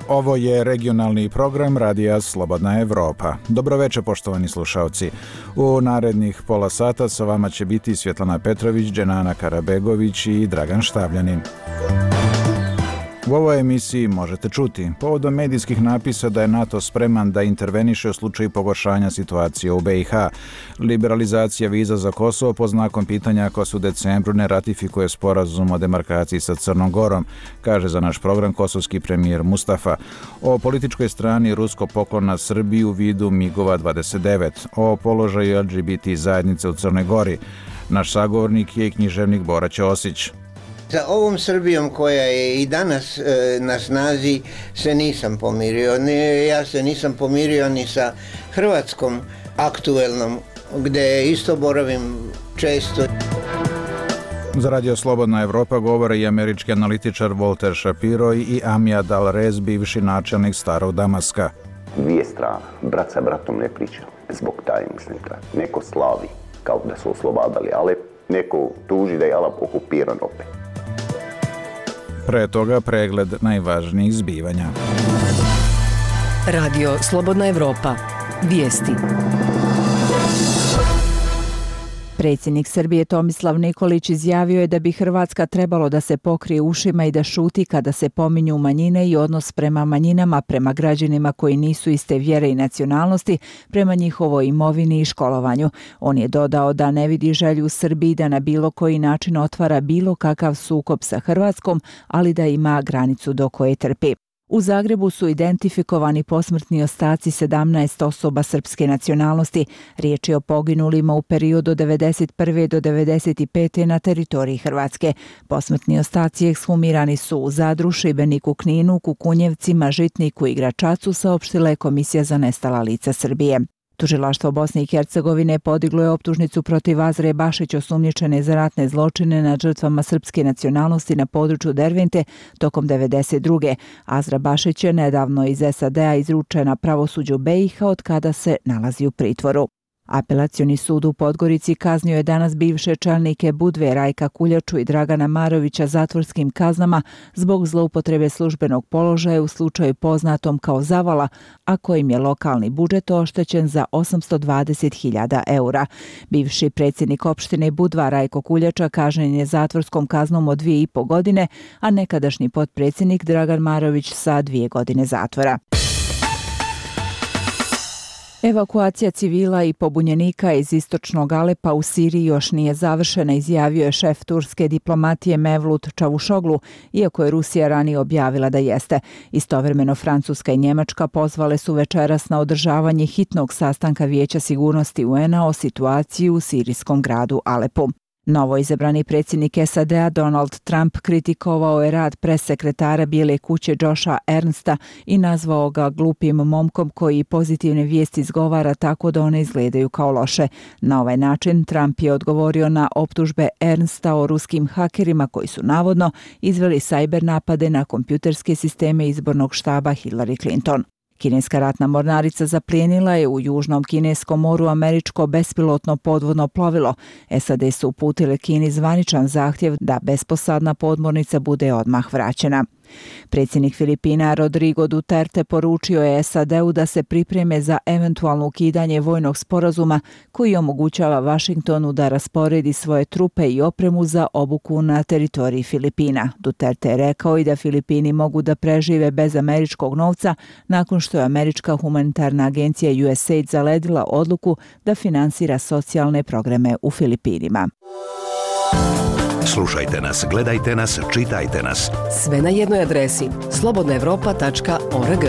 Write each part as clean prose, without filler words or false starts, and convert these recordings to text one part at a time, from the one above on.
Ovo je regionalni program Radija Slobodna Evropa. Dobroveče, poštovani slušalci. U narednih pola sata sa vama će biti Svjetlana Petrović, Dženana Karabegović i Dragan Štavljanin. U ovoj emisiji možete čuti povodom medijskih napisa da je NATO spreman da interveniše u slučaju pogoršanja situacije u BiH. Liberalizacija viza za Kosovo pod znakom pitanja ako se u decembru ne ratifikuje sporazum o demarkaciji sa Crnom Gorom, kaže za naš program kosovski premijer Mustafa. O političkoj strani ruskog poklona na Srbiju u vidu MiG-ova 29. O položaju LGBT zajednice u Crnoj Gori. Naš sagovornik je književnik Bora Ćosić. Sa ovom Srbijom koja je i danas na snazi se nisam pomirio. Ja se nisam pomirio ni sa Hrvatskom aktuelnom, gdje isto boravim često. Za Radio Slobodna Evropa govore i američki analitičar Walter Shapiro i Amjad Al-Rez, bivši načelnik Starog Damaska. Dvije strane, brat sa bratom ne priča. Zbog taj, mislim, neko slavi kao da su oslobadali Alep, neko tuži da je Alep okupiran opet. Pre toga pregled najvažnijih zbivanja. Radio Slobodna Evropa. Vijesti. Predsjednik Srbije Tomislav Nikolić izjavio je da bi Hrvatska trebalo da se pokrije ušima i da šuti kada se pominju manjine i odnos prema manjinama, prema građanima koji nisu iste vjere i nacionalnosti, prema njihovoj imovini i školovanju. On je dodao da ne vidi želju Srbiji da na bilo koji način otvara bilo kakav sukob sa Hrvatskom, ali da ima granicu do koje trpi. U Zagrebu su identifikovani posmrtni ostaci 17 osoba srpske nacionalnosti. Riječ je o poginulima u periodu od 1991. do 1995. na teritoriji Hrvatske. Posmrtni ostaci ekshumirani su u Zadru, Šibeniku, Kninu, Kukunjevcima, Žitniku i Gračacu, saopštila je Komisija za nestala lica Srbije. Tužilaštvo Bosne i Hercegovine podiglo je optužnicu protiv Azre Bašić, osumnjičene za ratne zločine nad žrtvama srpske nacionalnosti na području Dervente tokom 1992. Azra Bašić je nedavno iz SAD-a izručena pravosuđu BiH, od kada se nalazi u pritvoru. Apelacioni sud u Podgorici kaznio je danas bivše čelnike Budve Rajka Kuljaču i Dragana Marovića zatvorskim kaznama zbog zloupotrebe službenog položaja u slučaju poznatom kao Zavala, a kojim je lokalni budžet oštećen za 820.000 eura. Bivši predsjednik opštine Budva Rajko Kuljača kažnjen je zatvorskom kaznom od 2,5 godine, a nekadašnji potpredsjednik Dragan Marović sa 2 godine zatvora. Evakuacija civila i pobunjenika iz istočnog Alepa u Siriji još nije završena, izjavio je šef turske diplomatije Mevlut Čavušoglu, iako je Rusija ranije objavila da jeste. Istovremeno Francuska i Njemačka pozvale su večeras na održavanje hitnog sastanka Vijeća sigurnosti UN-a o situaciji u sirijskom gradu Alepu. Novo izabrani predsjednik SAD-a Donald Trump kritikovao je rad pressekretara Bijele kuće Josha Ernsta i nazvao ga glupim momkom koji pozitivne vijesti izgovara tako da one izgledaju kao loše. Na ovaj način Trump je odgovorio na optužbe Ernsta o ruskim hakerima koji su navodno izveli sajber napade na kompjuterske sisteme izbornog štaba Hillary Clinton. Kineska ratna mornarica zaplijenila je u Južnom kineskom moru američko bespilotno podvodno plovilo. SAD su uputile Kini zvaničan zahtjev da besposadna podmornica bude odmah vraćena. Predsjednik Filipina Rodrigo Duterte poručio je SAD-u da se pripreme za eventualno ukidanje vojnog sporazuma koji omogućava Vašingtonu da rasporedi svoje trupe i opremu za obuku na teritoriji Filipina. Duterte je rekao i da Filipini mogu da prežive bez američkog novca nakon što je američka humanitarna agencija USAID zaledila odluku da finansira socijalne programe u Filipinima. Slušajte nas, gledajte nas, čitajte nas. Sve na jednoj adresi slobodnaevropa.org.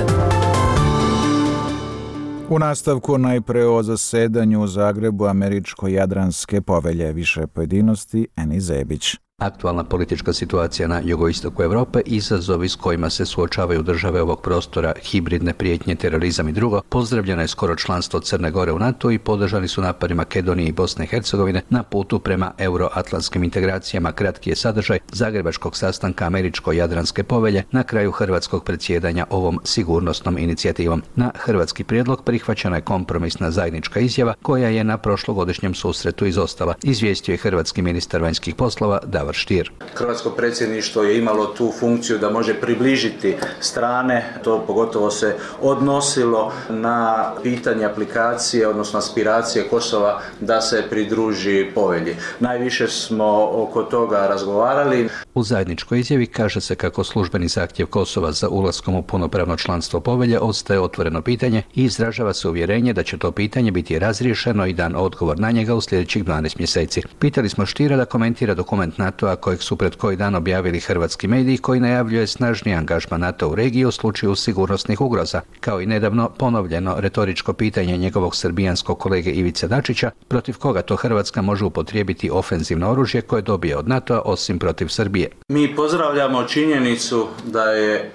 U nastavku najpre o zasedanju u Zagrebu Američko-Jadranske povelje. Više pojedinosti, Eni Zebić. Aktualna politička situacija na jugoistoku Europe, izazovi s kojima se suočavaju države ovog prostora, hibridne prijetnje, terorizam i drugo, pozdravljeno je skoro članstvo Crne Gore u NATO i podržani su napori Makedonije i Bosne i Hercegovine na putu prema euroatlantskim integracijama. Kratki je sadržaj zagrebačkog sastanka Američko-Jadranske povelje na kraju hrvatskog predsjedanja ovom sigurnosnom inicijativom. Na hrvatski prijedlog prihvaćena je kompromisna zajednička izjava koja je na prošlogodišnjem susretu izostala, izvijestio je hrvatski ministar vanjskih poslova Davor Davor Stier. Hrvatsko predsjedništvo je imalo tu funkciju da može približiti strane, to pogotovo se odnosilo na pitanje aplikacije, odnosno aspiracije Kosova da se pridruži povelji. Najviše smo oko toga razgovarali. U zajedničkoj izjavi kaže se kako službeni zahtjev Kosova za ulaskom u punopravno članstvo povelje ostaje otvoreno pitanje i izražava se uvjerenje da će to pitanje biti razriješeno i dan odgovor na njega u sljedećih 12 mjeseci. Pitali smo Stiera da komentira dokument NATO-a kojeg su pred koji dan objavili hrvatski mediji koji najavljuje snažniji angažman NATO u regiji u slučaju sigurnosnih ugroza, kao i nedavno ponovljeno retoričko pitanje njegovog srbijanskog kolege Ivice Dačića protiv koga to Hrvatska može upotrijebiti ofenzivno oružje koje dobije od NATO-a osim protiv Srbije. Mi pozdravljamo činjenicu da je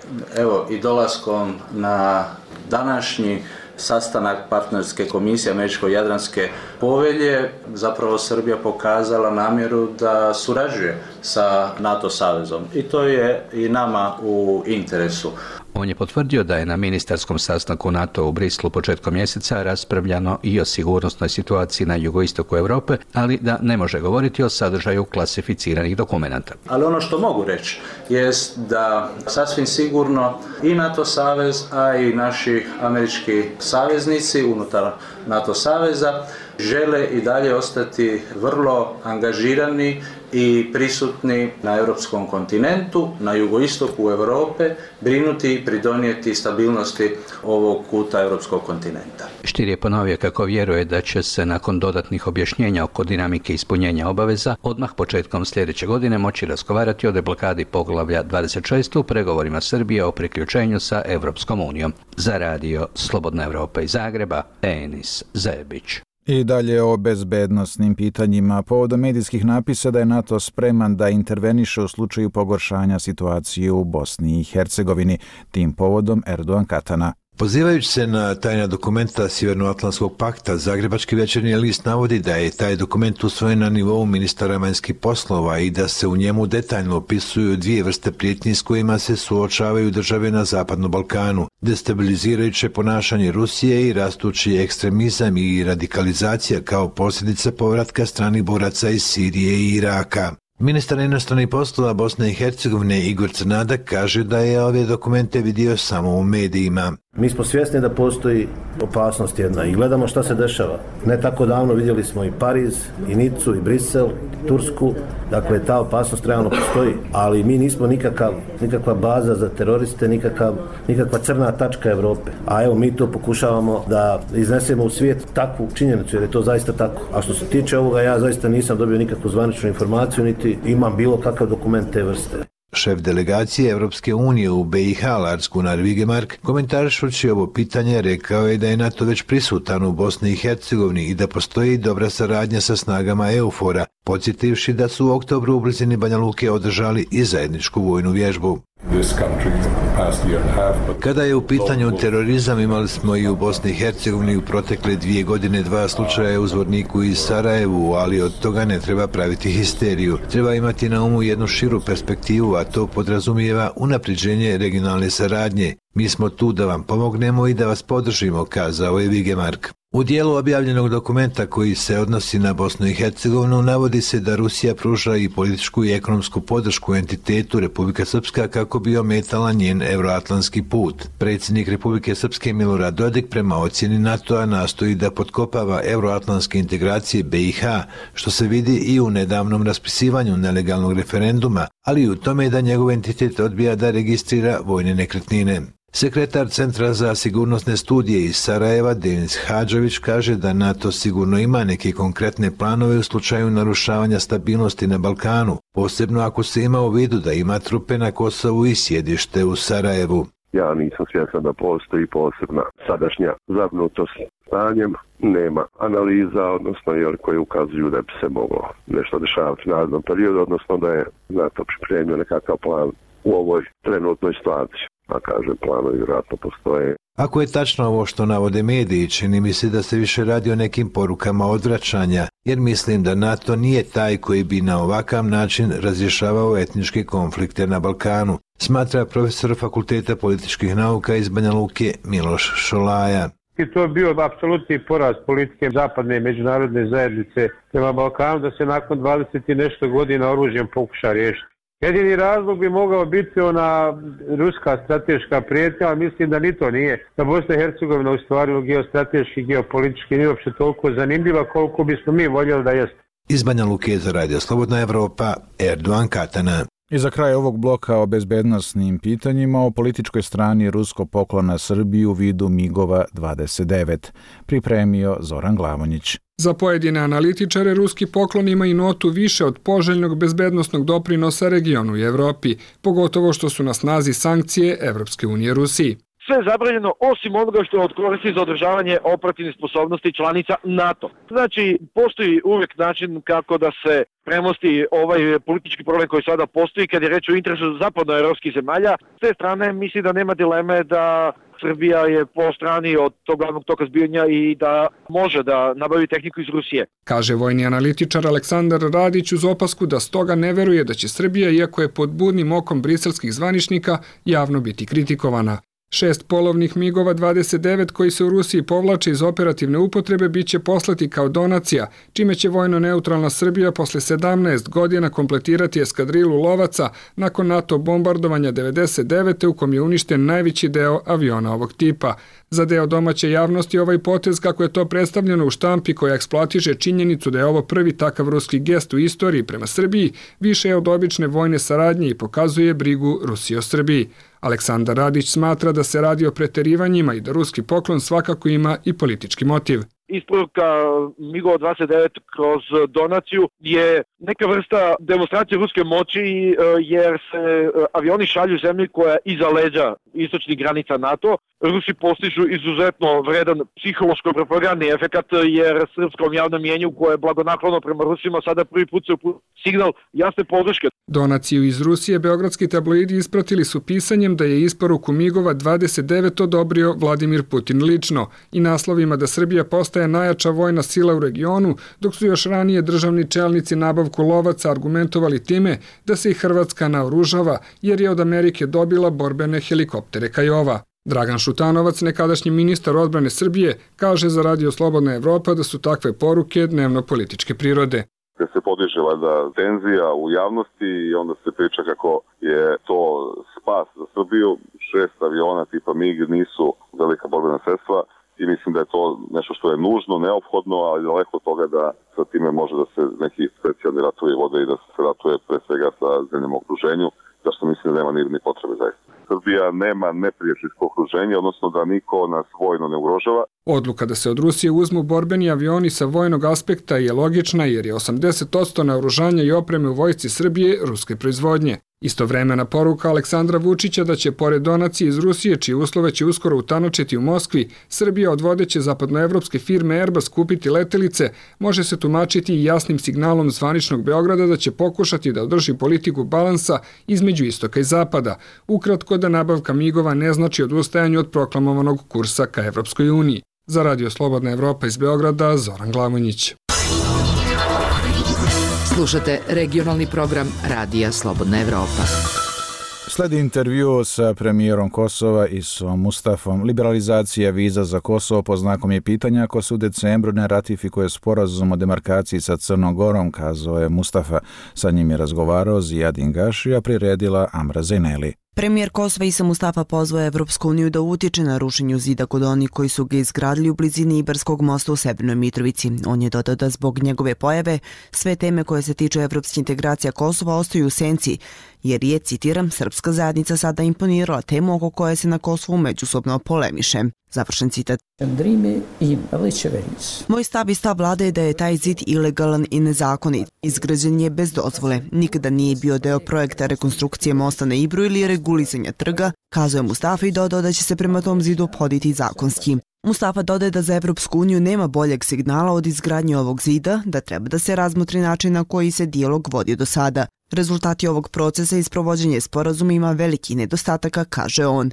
i dolaskom na današnji sastanak partnerske komisije Američko-Jadranske povelje zapravo Srbija pokazala namjeru da surađuje sa NATO savezom i to je i nama u interesu. On je potvrdio da je na ministarskom sastanku NATO u Brislu početkom mjeseca raspravljano i o sigurnosnoj situaciji na jugoistoku Europe, ali da ne može govoriti o sadržaju klasificiranih dokumenata. Ali ono što mogu reći jest da sasvim sigurno i NATO savez, a i naši američki saveznici unutar NATO saveza žele i dalje ostati vrlo angažirani i prisutni na europskom kontinentu, na jugoistoku Europe, brinuti i pridonijeti stabilnosti ovog kuta europskog kontinenta. Stier je ponovio kako vjeruje da će se nakon dodatnih objašnjenja oko dinamike ispunjenja obaveza odmah početkom sljedeće godine moći razgovarati o deblokadi poglavlja 26 u pregovorima Srbije o priključenju sa Europskom unijom. Za radio Slobodna Europa iz Zagreba, Enis Zebić. I dalje o bezbednosnim pitanjima. Povodom medijskih napisa da je NATO spreman da interveniše u slučaju pogoršanja situacije u Bosni i Hercegovini. Tim povodom Erdogan Katana. Pozivajući se na tajna dokumenta Sjevernoatlantskog pakta, Zagrebački večernji list navodi da je taj dokument usvojen na nivou ministara vanjskih poslova i da se u njemu detaljno opisuju dvije vrste prijetnji s kojima se suočavaju države na Zapadnom Balkanu, destabilizirajuće ponašanje Rusije i rastući ekstremizam i radikalizacija kao posljedica povratka stranih boraca iz Sirije i Iraka. Ministar inostranih poslova Bosne i Hercegovine Igor Crnadak kaže da je ove dokumente vidio samo u medijima. Mi smo svjesni da postoji opasnost jedna i gledamo šta se dešava. Ne tako davno vidjeli smo i Pariz, i Nicu, i Brisel, i Tursku. Dakle, ta opasnost realno postoji, ali mi nismo nikakva baza za teroriste, nikakva crna tačka Europe. A evo, mi to pokušavamo da iznesemo u svijet takvu činjenicu, jer je to zaista tako. A što se tiče ovoga, ja zaista nisam dobio nikakvu zvaničnu informaciju, niti imam bilo kakav dokument te vrste. Šef delegacije Europske unije u BiH Lars Gunnar Vigemark, komentarišući ovo pitanje, rekao je da je NATO već prisutan u Bosni i Hercegovini i da postoji dobra saradnja sa snagama EUFOR-a, podsjetivši da su u oktobru u blizini Banja Luke održali i zajedničku vojnu vježbu. Kada je u pitanju terorizam, imali smo i u Bosni i Hercegovini u protekle 2 godine 2 slučaja u Zvorniku i Sarajevu, ali od toga ne treba praviti histeriju. Treba imati na umu jednu širu perspektivu, a to podrazumijeva unapređenje regionalne saradnje. Mi smo tu da vam pomognemo i da vas podržimo, kazao je Vigemark. U dijelu objavljenog dokumenta koji se odnosi na Bosnu i Hercegovinu navodi se da Rusija pruža i političku i ekonomsku podršku entitetu Republika Srpska kako bi ometala njen euroatlantski put. Predsjednik Republike Srpske Milorad Dodik prema ocjeni NATO-a nastoji da potkopava euroatlantske integracije BiH, što se vidi i u nedavnom raspisivanju nelegalnog referenduma, ali i u tome da njegov entitet odbija da registrira vojne nekretnine. Sekretar Centra za sigurnosne studije iz Sarajeva, Denis Hadžović, kaže da NATO sigurno ima neke konkretne planove u slučaju narušavanja stabilnosti na Balkanu, posebno ako se ima u vidu da ima trupe na Kosovu i sjedište u Sarajevu. Ja nisam svjestan da postoji posebna sadašnja zabrinutost stanjem, nema analiza, odnosno koje ukazuju da bi se moglo nešto dešavati u narednom periodu, odnosno da je NATO pripremio nekakav plan u ovoj trenutnoj situaciji. A kažem, planovi vjerojatno postoje. Ako je tačno ovo što navode mediji, čini mi se da se više radi o nekim porukama odvraćanja, jer mislim da NATO nije taj koji bi na ovakav način razrješavao etničke konflikte na Balkanu, smatra profesor Fakulteta političkih nauka iz Banja Luke Miloš Šolaja. I to je bio apsolutni poraz politike zapadne i međunarodne zajednice prema Balkanu da se nakon 20 i nešto godina oružjem pokuša riješiti. Jedini razlog bi mogao biti ona ruska strateška prijetnja, ali mislim da ni to nije. Da Bosna i Hercegovina u stvari geostrateški, geopolitički nije uopće toliko zanimljiva koliko bismo mi voljeli da jeste. Iz Banja Luke za Radio Slobodna Evropa, Erdogan Katana. I za kraj ovog bloka o bezbednosnim pitanjima o političkoj strani ruskog poklona Srbiji u vidu MIG-ova 29. Pripremio Zoran Glavonjić. Za pojedine analitičare ruski poklon ima i notu više od poželjnog bezbednosnog doprinosa regionu i Evropi, pogotovo što su na snazi sankcije Evropske unije Rusiji. Sve je zabranjeno osim onoga što je od koristi za održavanje operativnih sposobnosti članica NATO. Znači, postoji uvijek način kako da se premosti ovaj politički problem koji sada postoji kad je reč o interesu zapadnoevropskih zemalja. S te strane misli da nema dileme da Srbija je po strani od tog glavnog toka zbijanja i da može da nabavi tehniku iz Rusije. Kaže vojni analitičar Aleksandar Radić uz opasku da stoga ne veruje da će Srbija, iako je pod budnim okom briselskih zvaničnika, javno biti kritikovana. 6 polovnih MIG-ova 29 koji se u Rusiji povlače iz operativne upotrebe biće poslati kao donacija, čime će vojno neutralna Srbija posle 17 godina kompletirati eskadrilu lovaca nakon NATO bombardovanja 99. u kom je uništen najveći deo aviona ovog tipa. Za deo domaće javnosti ovaj potez, kako je to predstavljeno u štampi koja eksploatiše činjenicu da je ovo prvi takav ruski gest u istoriji prema Srbiji, više je od obične vojne saradnje i pokazuje brigu Rusije o Srbiji. Aleksandar Radić smatra da se radi o preterivanjima i da ruski poklon svakako ima i politički motiv. Isporuka MIG-ova 29 kroz donaciju je neka vrsta demonstracije ruske moći jer se avioni šalju zemlji koja je iza leđa istočnih granica NATO. Rusi postižu izuzetno vredan psihološko-propagandni efekat jer srpskom javnom mjenju koje je blagonaklono prema Rusima sada prvi put se signal jasne podrške. Donaciju iz Rusije beogradski tabloidi ispratili su pisanjem da je isporuku MIG-ova 29 odobrio Vladimir Putin lično i naslovima da Srbija postaje najjača vojna sila u regionu, dok su još ranije državni čelnici nabavku lovaca argumentovali time da se i Hrvatska naoružava jer je od Amerike dobila borbene helikoptere Kajova. Dragan Šutanovac, nekadašnji ministar odbrane Srbije, kaže za Radio Slobodna Evropa da su takve poruke dnevno-političke prirode. Kad se podiže valjda tenzija u javnosti i onda se priča kako je to spas za Srbiju, 6 aviona tipa MIG nisu velika borbena sredstva i mislim da je to nešto što je nužno, neophodno, ali daleko od toga da sa time može da se neki specijalni ratovi vode i da se ratuje pre svega sa zemljama u okruženju, zašto mislim da nema ni potrebe zaista. Srbija nema neprijateljsko okruženje, odnosno da niko nas vojno ne ugrožava. Odluka da se od Rusije uzmu borbeni avioni sa vojnog aspekta je logična jer je 80% naoružanja i opreme u vojsci Srbije ruske proizvodnje. Istovremena poruka Aleksandra Vučića da će pored donacije iz Rusije, čije uslove će uskoro utanočiti u Moskvi, Srbija od vodeće zapadnoevropske firme Airbus kupiti letelice, može se tumačiti i jasnim signalom zvaničnog Beograda da će pokušati da održi politiku balansa između istoka i zapada. Ukratko da nabavka MIG-ova ne znači odustajanje od proklamovanog kursa ka Evropskoj uniji. Za Radio Slobodna Evropa iz Beograda, Zoran Glavonjić. Slušate regionalni program Radija Slobodna Evropa. Sledi intervju sa premijerom Kosova Isom Mustafom. Liberalizacija viza za Kosovo pod znakom je pitanja ako se u decembru ne ratifikuje sporazum o demarkaciji sa Crnom Gorom, kazao je Mustafa. Sa njim je razgovarao Zijadin Gaši, a priredila Amra Zeneli. Premijer Kosova Isa Mustafa pozvao Evropsku uniju da utiče na rušenju zida kod onih koji su ga izgradili u blizini Ibarskog mosta u Severnoj Mitrovici. On je dodao da zbog njegove pojave sve teme koje se tiču evropske integracija Kosova ostaju u senci, jer je, citiram, srpska zajednica sada imponirala temu oko koje se na Kosovu međusobno polemiše. Završen citat. Moj stav i stav vlade je da je taj zid ilegalan i nezakonit. Izgrađen je bez dozvole. Nikada nije bio deo projekta rekonstrukcije mosta na Ibru ili regulisanja trga, kazao je Mustafa i dodao da će se prema tom zidu ophoditi zakonski. Mustafa dodaje da za Evropsku uniju nema boljeg signala od izgradnje ovog zida, da treba da se razmotri način na koji se dijalog vodio do sada. Rezultati ovog procesa i sprovođenje sporazuma ima veliki nedostataka, kaže on.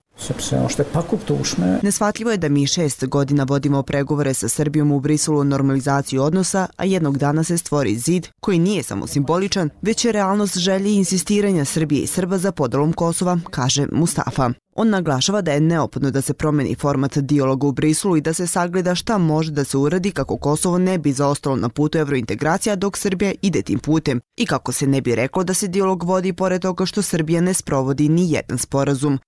Neshvatljivo je da mi 6 godina vodimo pregovore sa Srbijom u Briselu o normalizaciji odnosa, a jednog dana se stvori zid koji nije samo simboličan, već je realnost želje i insistiranja Srbije i Srba za podelom Kosova, kaže Mustafa. On naglašava da je neophodno da se promeni format dijaloga u Briselu i da se sagleda šta može da se uradi kako Kosovo ne bi zaostalo na putu evrointegracija dok Srbija ide tim putem i kako se ne bi reklo da se dijalog vodi pored toga što Srbija ne sprovodi ni jedan sporazum.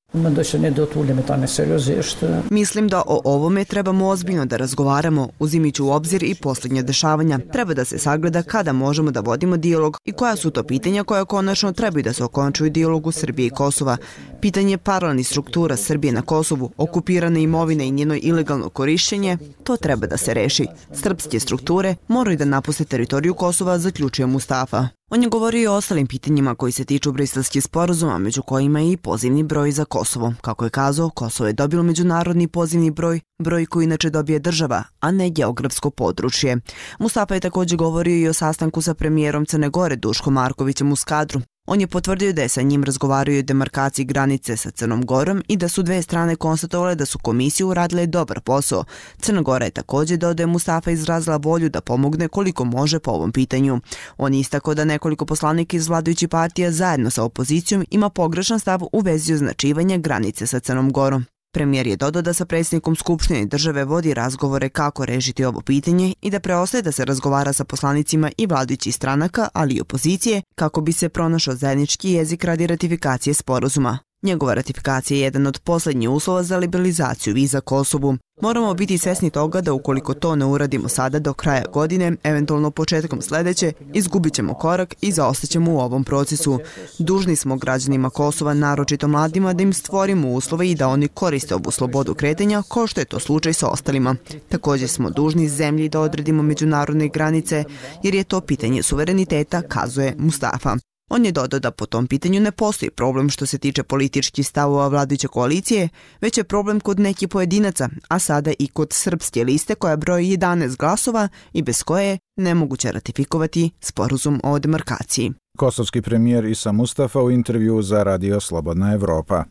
Mislim da o ovome trebamo ozbiljno da razgovaramo, uzimajući u obzir i posljednja dešavanja. Treba da se sagleda kada možemo da vodimo dijalog i koja su to pitanja koja konačno trebaju da se okončuju dijalogu Srbije i Kosova. Pitanje paralelnih struktura Srbije na Kosovu, okupirane imovine i njeno ilegalno korišćenje, to treba da se reši. Srpske strukture moraju da napuste teritoriju Kosova, zaključuje Mustafa. On je govorio i o ostalim pitanjima koji se tiču briselskih sporazuma, među kojima je i pozivni broj za Kosovo. Kako je kazao, Kosovo je dobilo međunarodni pozivni broj koji inače dobije država, a ne geografsko područje. Mustafa je također govorio i o sastanku sa premijerom Crne Gore Duškom Markovićem u Skadru. On je potvrdio da je sa njim razgovarao o demarkaciji granice sa Crnom Gorom i da su dve strane konstatovale da su komisije uradile dobar posao. Crna Gora je također dodao da je Mustafa izrazila volju da pomogne koliko može po ovom pitanju. On je istakao da nekoliko poslanika iz vladajućih partija zajedno sa opozicijom ima pogrešan stav u vezi označivanja granice sa Crnom Gorom. Premijer je dodao da sa predsjednikom Skupštine države vodi razgovore kako rešiti ovo pitanje i da preostaje da se razgovara sa poslanicima i vladajućih stranaka, ali i opozicije, kako bi se pronašao zajednički jezik radi ratifikacije sporazuma. Njegova ratifikacija je jedan od posljednjih uslova za liberalizaciju viza Kosovu. Moramo biti svesni toga da ukoliko to ne uradimo sada do kraja godine, eventualno početkom sljedeće, izgubit ćemo korak i zaostaćemo u ovom procesu. Dužni smo građanima Kosova, naročito mladima, da im stvorimo uslove i da oni koriste ovu slobodu kretanja, kao što je to slučaj sa ostalima. Također smo dužni zemlji da odredimo međunarodne granice, jer je to pitanje suvereniteta, kazuje Mustafa. On je dodao da po tom pitanju ne postoji problem što se tiče političkih stavova vladajuće koalicije, već je problem kod nekih pojedinaca, a sada i kod srpske liste koja broji 11 glasova i bez koje je nemoguće ratifikovati sporazum o demarkaciji. Kosovski premijer Isa Mustafa u intervju za Radio Slobodna Evropa.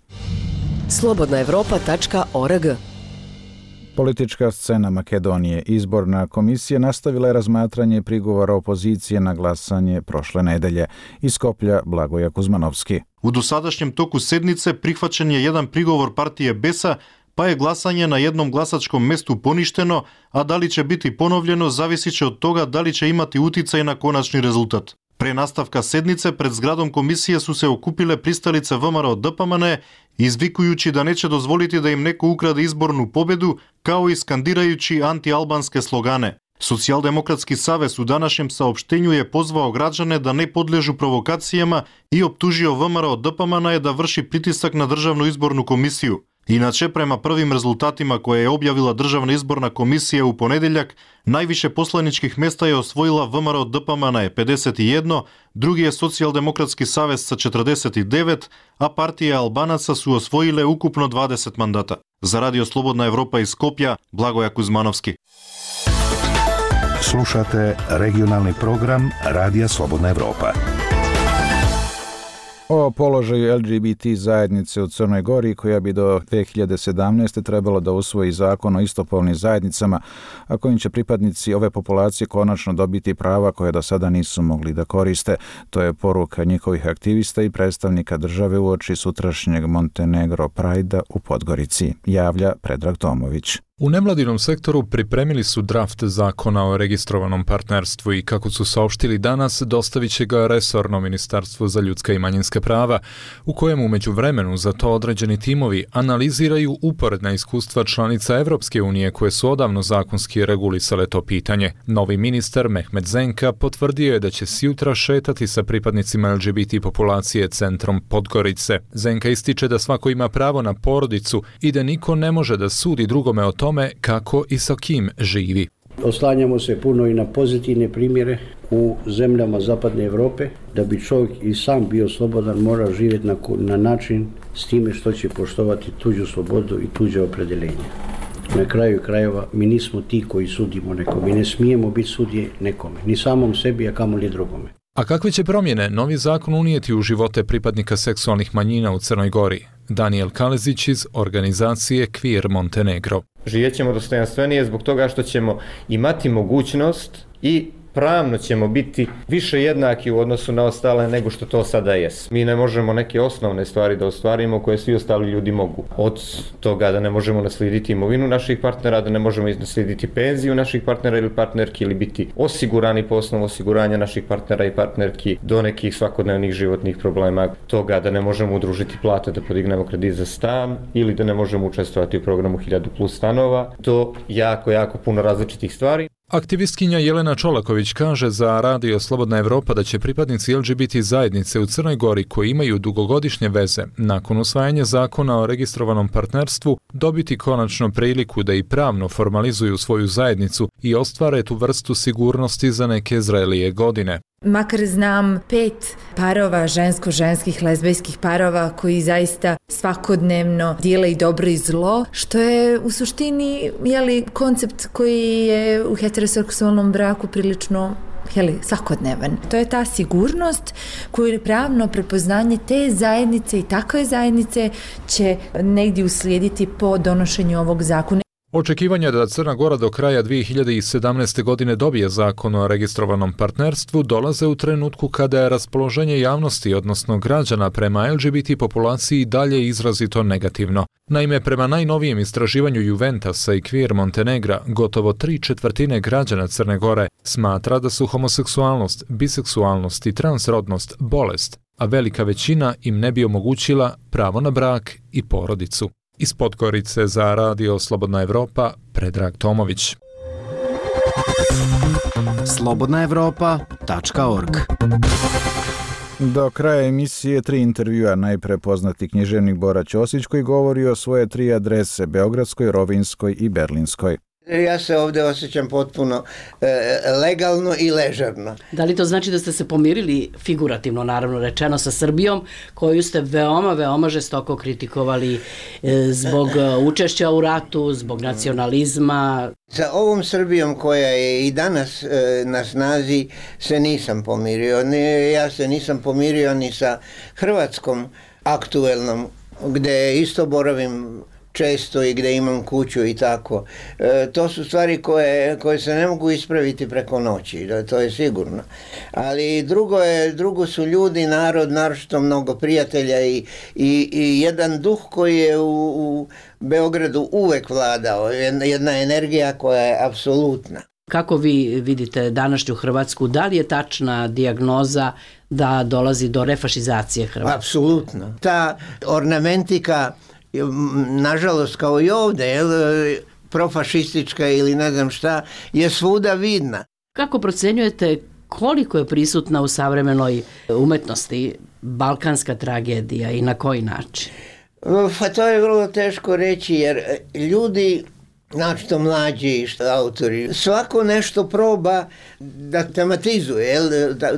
slobodnaevropa.org. Politička scena Makedonije. Izborna komisija nastavila je razmatranje prigovora opozicije na glasanje prošle nedelje. Iz Skoplja Blagoja Kuzmanovski. U dosadašnjem toku sednice prihvaćen je jedan prigovor partije BES-a, pa je glasanje na jednom glasačkom mestu poništeno, a da li će biti ponovljeno zavisit će od toga da li će imati uticaj na konačni rezultat. Pre nastavka sednice pred zgradom komisije su se okupile pristalice VMRO DPMN, izvikujući da neće dozvoliti da im neko ukrade izbornu pobedu, kao i skandirajući anti-albanske slogane. Socijaldemokratski savez u današnjem saopštenju je pozvao građane da ne podležu provokacijama i optužio VMRO DPMN da vrši pritisak na Državnu izbornu komisiju. Inače, prema prvim rezultatima koje je objavila Državna izborna komisija u ponedeljak, najviše poslaničkih mesta je osvojila VMRO DPMN 51, drugi je Socijaldemokratski savez sa 49, a partije Albanaca su osvojile ukupno 20 mandata. Za Radio Slobodna Evropa iz Skopja, Blagoja Kuzmanovski. Slušate regionalni program Radija Slobodna Evropa. O položaju LGBT zajednice u Crnoj Gori, koja bi do 2017. trebalo da usvoji zakon o istopolnim zajednicama, a kojim će pripadnici ove populacije konačno dobiti prava koje do sada nisu mogli da koriste. To je poruka njihovih aktivista i predstavnika države uoči sutrašnjeg Montenegro Prajda u Podgorici, javlja Predrag Tomović. U nevladinom sektoru pripremili su draft zakona o registrovanom partnerstvu i, kako su saopštili danas, dostavit će ga resorno Ministarstvo za ljudska i manjinska prava, u kojem u međuvremenu za to određeni timovi analiziraju uporedna iskustva članica Evropske unije koje su odavno zakonski regulisale to pitanje. Novi ministar Mehmet Zenka potvrdio je da će sjutra šetati sa pripadnicima LGBT populacije centrom Podgorice. Zenka ističe da svako ima pravo na porodicu i da niko ne može da sudi drugome o tome kako i sa kim živi. Oslanjamo se puno i na pozitivne primjere u zemljama Zapadne Evrope. Da bi čovjek i sam bio slobodan, mora živjeti na način s time što će poštovati tuđu slobodu i tuđe opredeljenje. Na kraju krajeva mi nismo ti koji sudimo nekome, mi ne smijemo biti sudje nekome, ni samom sebi, a kamoli drugome. A kakve će promjene novi zakon unijeti u živote pripadnika seksualnih manjina u Crnoj Gori? Daniel Kalezić iz organizacije Queer Montenegro. Živjet ćemo dostojanstvenije zbog toga što ćemo imati mogućnost i pravno ćemo biti više jednaki u odnosu na ostale nego što to sada jest. Mi ne možemo neke osnovne stvari da ostvarimo koje svi ostali ljudi mogu. Od toga da ne možemo naslijediti imovinu naših partnera, da ne možemo naslijediti penziju naših partnera ili partnerki ili biti osigurani po osnovu osiguranja naših partnera i partnerki do nekih svakodnevnih životnih problema, toga da ne možemo udružiti plate da podignemo kredit za stan ili da ne možemo učestvovati u programu 1000+ stanova. To jako puno različitih stvari. Aktivistkinja Jelena Čolaković kaže za Radio Slobodna Evropa da će pripadnici LGBT zajednice u Crnoj Gori koji imaju dugogodišnje veze nakon usvajanja zakona o registrovanom partnerstvu dobiti konačno priliku da i pravno formalizuju svoju zajednicu i ostvare tu vrstu sigurnosti za neke zrelije godine. Makar znam 5 parova žensko-ženskih lezbijskih parova koji zaista svakodnevno dijele i dobro i zlo, što je u suštini koncept koji je u heteroseksualnom braku prilično svakodnevan. To je ta sigurnost koju je pravno prepoznanje te zajednice i takve zajednice će negdje uslijediti po donošenju ovog zakona. Očekivanja da Crna Gora do kraja 2017. godine dobije zakon o registrovanom partnerstvu dolaze u trenutku kada je raspoloženje javnosti, odnosno građana prema LGBT populaciji dalje izrazito negativno. Naime, prema najnovijem istraživanju Juventasa i Queer Montenegra, gotovo 3/4 građana Crne Gore smatra da su homoseksualnost, biseksualnost i transrodnost bolest, a velika većina im ne bi omogućila pravo na brak i porodicu. Iz Podgorice za Radio Slobodna Evropa, Predrag Tomović. slobodnaevropa.org. Do kraja emisije 3 intervjua. Najpre poznati književnik Bora Ćosić koji govori o svoje 3 adrese, Beogradskoj, Rovinjskoj i Berlinskoj. Ja se ovdje osjećam potpuno legalno i ležerno. Da li to znači da ste se pomirili, figurativno naravno rečeno, sa Srbijom, koju ste veoma žestoko kritikovali zbog učešća u ratu, zbog nacionalizma? Sa ovom Srbijom koja je i danas na snazi se nisam pomirio. Ja se nisam pomirio ni sa Hrvatskom aktuelnom, gdje isto boravim često i gdje imam kuću i tako. To su stvari koje se ne mogu ispraviti preko noći, to je sigurno. Ali drugo su ljudi, narod, naročito mnogo prijatelja i jedan duh koji je u Beogradu uvek vladao, jedna energija koja je apsolutna. Kako vi vidite današnju Hrvatsku? Da li je tačna dijagnoza da dolazi do refašizacije Hrvatske? Apsolutno. Ta ornamentika, nažalost kao i ovdje, profašistička ili ne znam šta, je svuda vidna. Kako procenjujete koliko je prisutna u savremenoj umetnosti balkanska tragedija i na koji način? Pa to je vrlo teško reći jer ljudi, znači to mlađi autori, svako nešto proba da tematizuje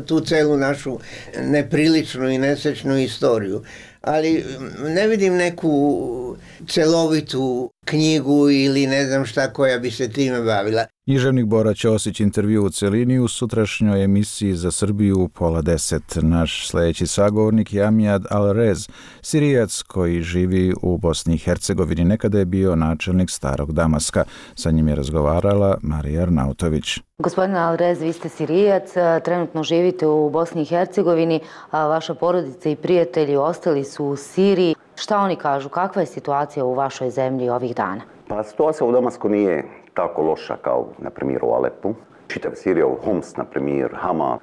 tu celu našu nepriličnu i nesrećnu istoriju. Ali ne vidim neku celovitu knjigu ili ne znam šta koja bi se time bavila. Književnik Bora Ćosić intervju u celini u sutrašnjoj emisiji za Srbiju u 9:30. Naš sljedeći sagovornik je Amjad Alrez, Sirijac koji živi u Bosni i Hercegovini. Nekada je bio načelnik Starog Damaska. Sa njim je razgovarala Marija Arnautović. Gospodine Alrez, vi ste Sirijac, trenutno živite u Bosni i Hercegovini, a vaša porodica i prijatelji ostali su u Siriji. Šta oni kažu? Kakva je situacija u vašoj zemlji ovih dana? Pa situacija u Damasku nije tako loša kao, na primjer, u Alepu. Čitav Sirija, Homs, na primjer, Hama,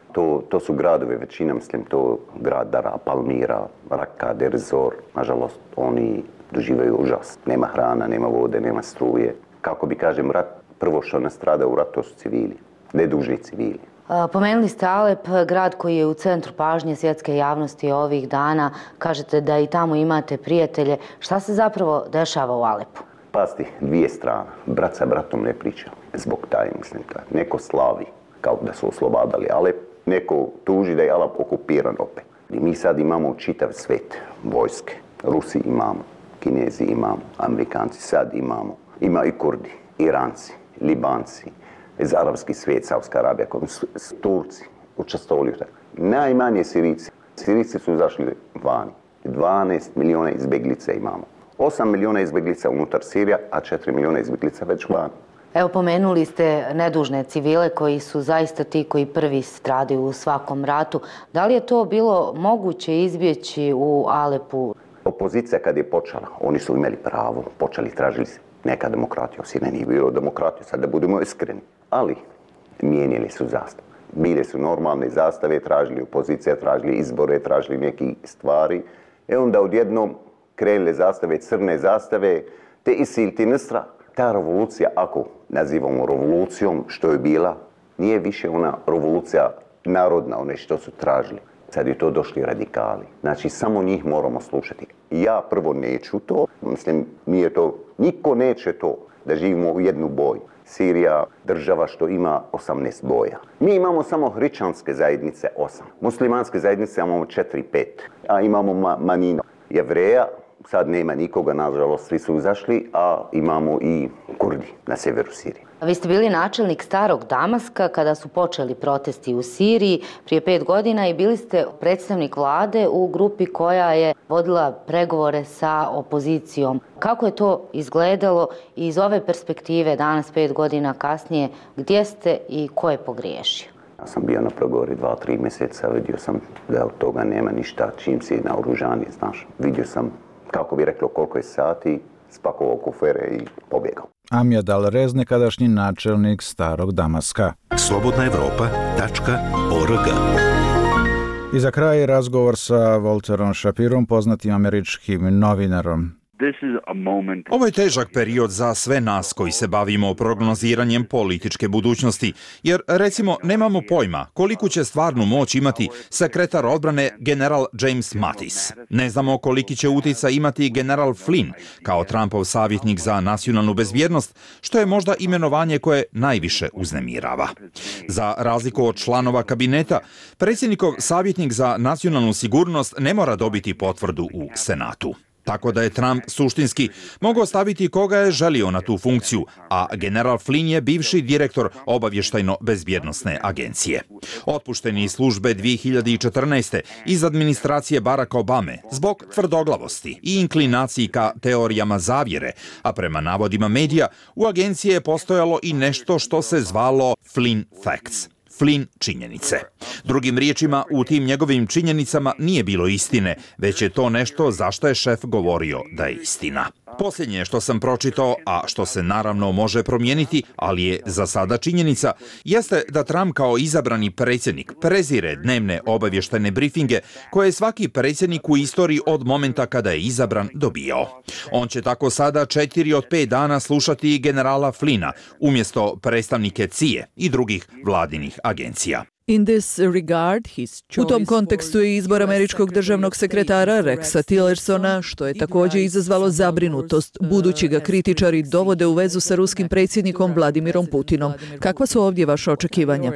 to su gradovi, većina, mislim, to grad Dara, Palmira, Raka, Derzor. Nažalost, oni doživaju užas. Nema hrana, nema vode, nema struje. Kako bi kažem, rat, prvo što nastrada u ratu, to su civili, nedužni civili. Pomenuli ste Alep, grad koji je u centru pažnje svjetske javnosti ovih dana. Kažete da i tamo imate prijatelje. Šta se zapravo dešava u Alepu? Pazite, 2 strane. Brat sa bratom ne priča. Zbog taj, mislim, neko slavi kao da su oslobadali Alep, neko tuži da je Alep okupiran opet. I mi sad imamo čitav svet vojske. Rusi imamo, Kinezi imamo, Amerikanci sad imamo. Ima i Kurdi, Iranci, Libanci, iz arapski svijet, Saudska Arabija, Turci učestvovali u tako. Najmanje Sirici. Sirici su izašli vani. 12 milijuna izbjeglica imamo. 8 milijuna izbjeglica unutar Sirija, a 4 milijuna izbjeglica već van. Evo, pomenuli ste nedužne civile koji su zaista ti koji prvi stradaju u svakom ratu. Da li je to bilo moguće izbjeći u Alepu? Opozicija kad je počela, oni su imali pravo, počeli tražiti neka demokratija, osine nije bilo demokratija, sad da budemo iskreni. Ali mijenjali su zastave. Bile su normalne zastave, tražili opozicija, tražili izbore, tražili neke stvari. Onda odjednom krenule zastave, crne zastave, te Isil, ti Nusra. Ta revolucija, ako nazivamo revolucijom, što je bila, nije više ona revolucija narodna, one što su tražili. Sad je to došli radikali. Znači, samo njih moramo slušati. Ja prvo neću to, mislim, nije to, niko neće to da živimo u jednu boju. Sirija, država što ima 18 boja. Mi imamo samo hrišćanske zajednice 8. Muslimanske zajednice imamo 4-5. A imamo manjinu Jevreja, sad nema nikoga, nažalost, svi su izašli, a imamo i Kurdi na severu Sirije. Vi ste bili načelnik Starog Damaska kada su počeli protesti u Siriji prije 5 godina i bili ste predstavnik vlade u grupi koja je vodila pregovore sa opozicijom. Kako je to izgledalo i iz ove perspektive danas 5 godina kasnije, gdje ste i ko je pogriješio? Ja sam bio na pregovori 2-3 mjeseca, vidio sam da od toga nema ništa, čim si naoružani, znaš. Vidio sam, kako bi reklo, koliko je sati, spakovao kufere i pobjegao. Amjad Al-Rez, nekadašnji načelnik Starog Damaska. slobodnaevropa.org. I za kraj razgovor sa Walterom Shapirom, poznatim američkim novinarom. Ovo je težak period za sve nas koji se bavimo prognoziranjem političke budućnosti, jer recimo nemamo pojma koliku će stvarnu moć imati sekretar odbrane general James Mattis. Ne znamo koliki će utjecaj imati general Flynn kao Trumpov savjetnik za nacionalnu bezbjednost, što je možda imenovanje koje najviše uznemirava. Za razliku od članova kabineta, predsjednikov savjetnik za nacionalnu sigurnost ne mora dobiti potvrdu u Senatu. Tako da je Trump suštinski mogao staviti koga je želio na tu funkciju, a general Flynn je bivši direktor obavještajno-bezbjednosne agencije. Otpušteni iz službe 2014. iz administracije Baracka Obame zbog tvrdoglavosti i inklinaciji ka teorijama zavjere, a prema navodima medija u agenciji je postojalo i nešto što se zvalo Flynn Facts. Flynn činjenice. Drugim riječima, u tim njegovim činjenicama nije bilo istine, već je to nešto za što je šef govorio da je istina. Posljednje što sam pročitao, a što se naravno može promijeniti, ali je za sada činjenica, jeste da Trump kao izabrani predsjednik prezire dnevne obavještajne brifinge koje je svaki predsjednik u istoriji od momenta kada je izabran dobijao. On će tako sada 4 od 5 dana slušati generala Flynna umjesto predstavnike CIA i drugih vladinih agencija. U tom kontekstu je izbor američkog državnog sekretara Rexa Tillersona, što je također izazvalo zabrinutost, budući ga kritičari dovode u vezu sa ruskim predsjednikom Vladimirom Putinom. Kakva su ovdje vaše očekivanja?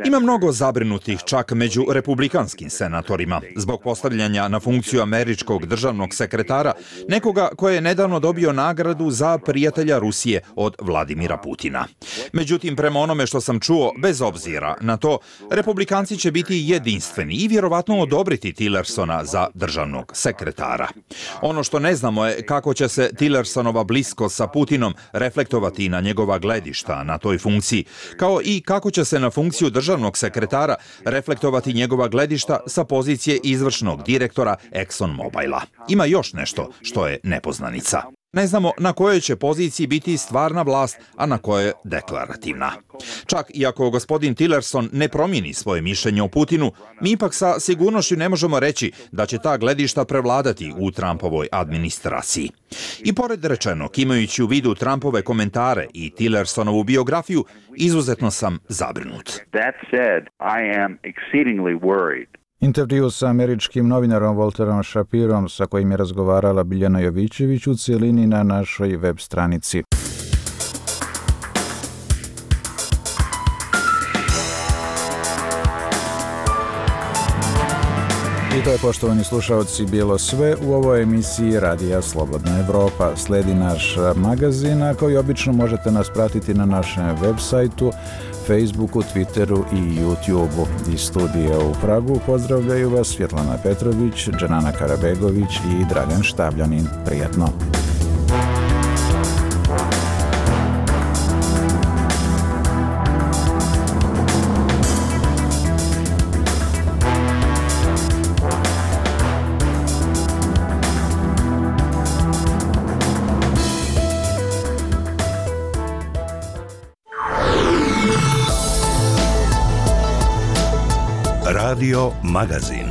Ima mnogo zabrinutih čak među republikanskim senatorima zbog postavljanja na funkciju američkog državnog sekretara, nekoga koji je nedavno dobio nagradu za prijatelja Rusije od Vladimira Putina. Međutim, prema onome što sam čuo, bez obzira na to, republikanci će biti jedinstveni i vjerovatno odobriti Tillersona za državnog sekretara. Ono što ne znamo je kako će se Tillersonova bliskost sa Putinom reflektovati na njegova gledišta na toj funkciji, kao i kako će se na funkciju državnog sekretara reflektovati njegova gledišta sa pozicije izvršnog direktora ExxonMobila. Ima još nešto što je nepoznanica. Ne znamo na kojoj će poziciji biti stvarna vlast, a na kojoj deklarativna. Čak i ako gospodin Tillerson ne promijeni svoje mišljenje o Putinu, mi ipak sa sigurnošću ne možemo reći da će ta gledišta prevladati u Trumpovoj administraciji. I pored rečenog, imajući u vidu Trumpove komentare i Tillersonovu biografiju, izuzetno sam zabrinut. Intervju sa američkim novinarom Walterom Shapirom, sa kojim je razgovarala Biljana Jovićević, u cijelini na našoj web stranici. I to je, poštovani slušalci, bilo sve u ovoj emisiji Radija Slobodna Evropa. Slijedi naš magazin, a koji obično možete nas pratiti na našem web sajtu, Facebooku, Twitteru i YouTubeu. Iz studija u Pragu pozdravljaju vas Svjetlana Petrović, Dženana Karabegović i Dragan Štabljanin. Prijatno! Radio Magazin.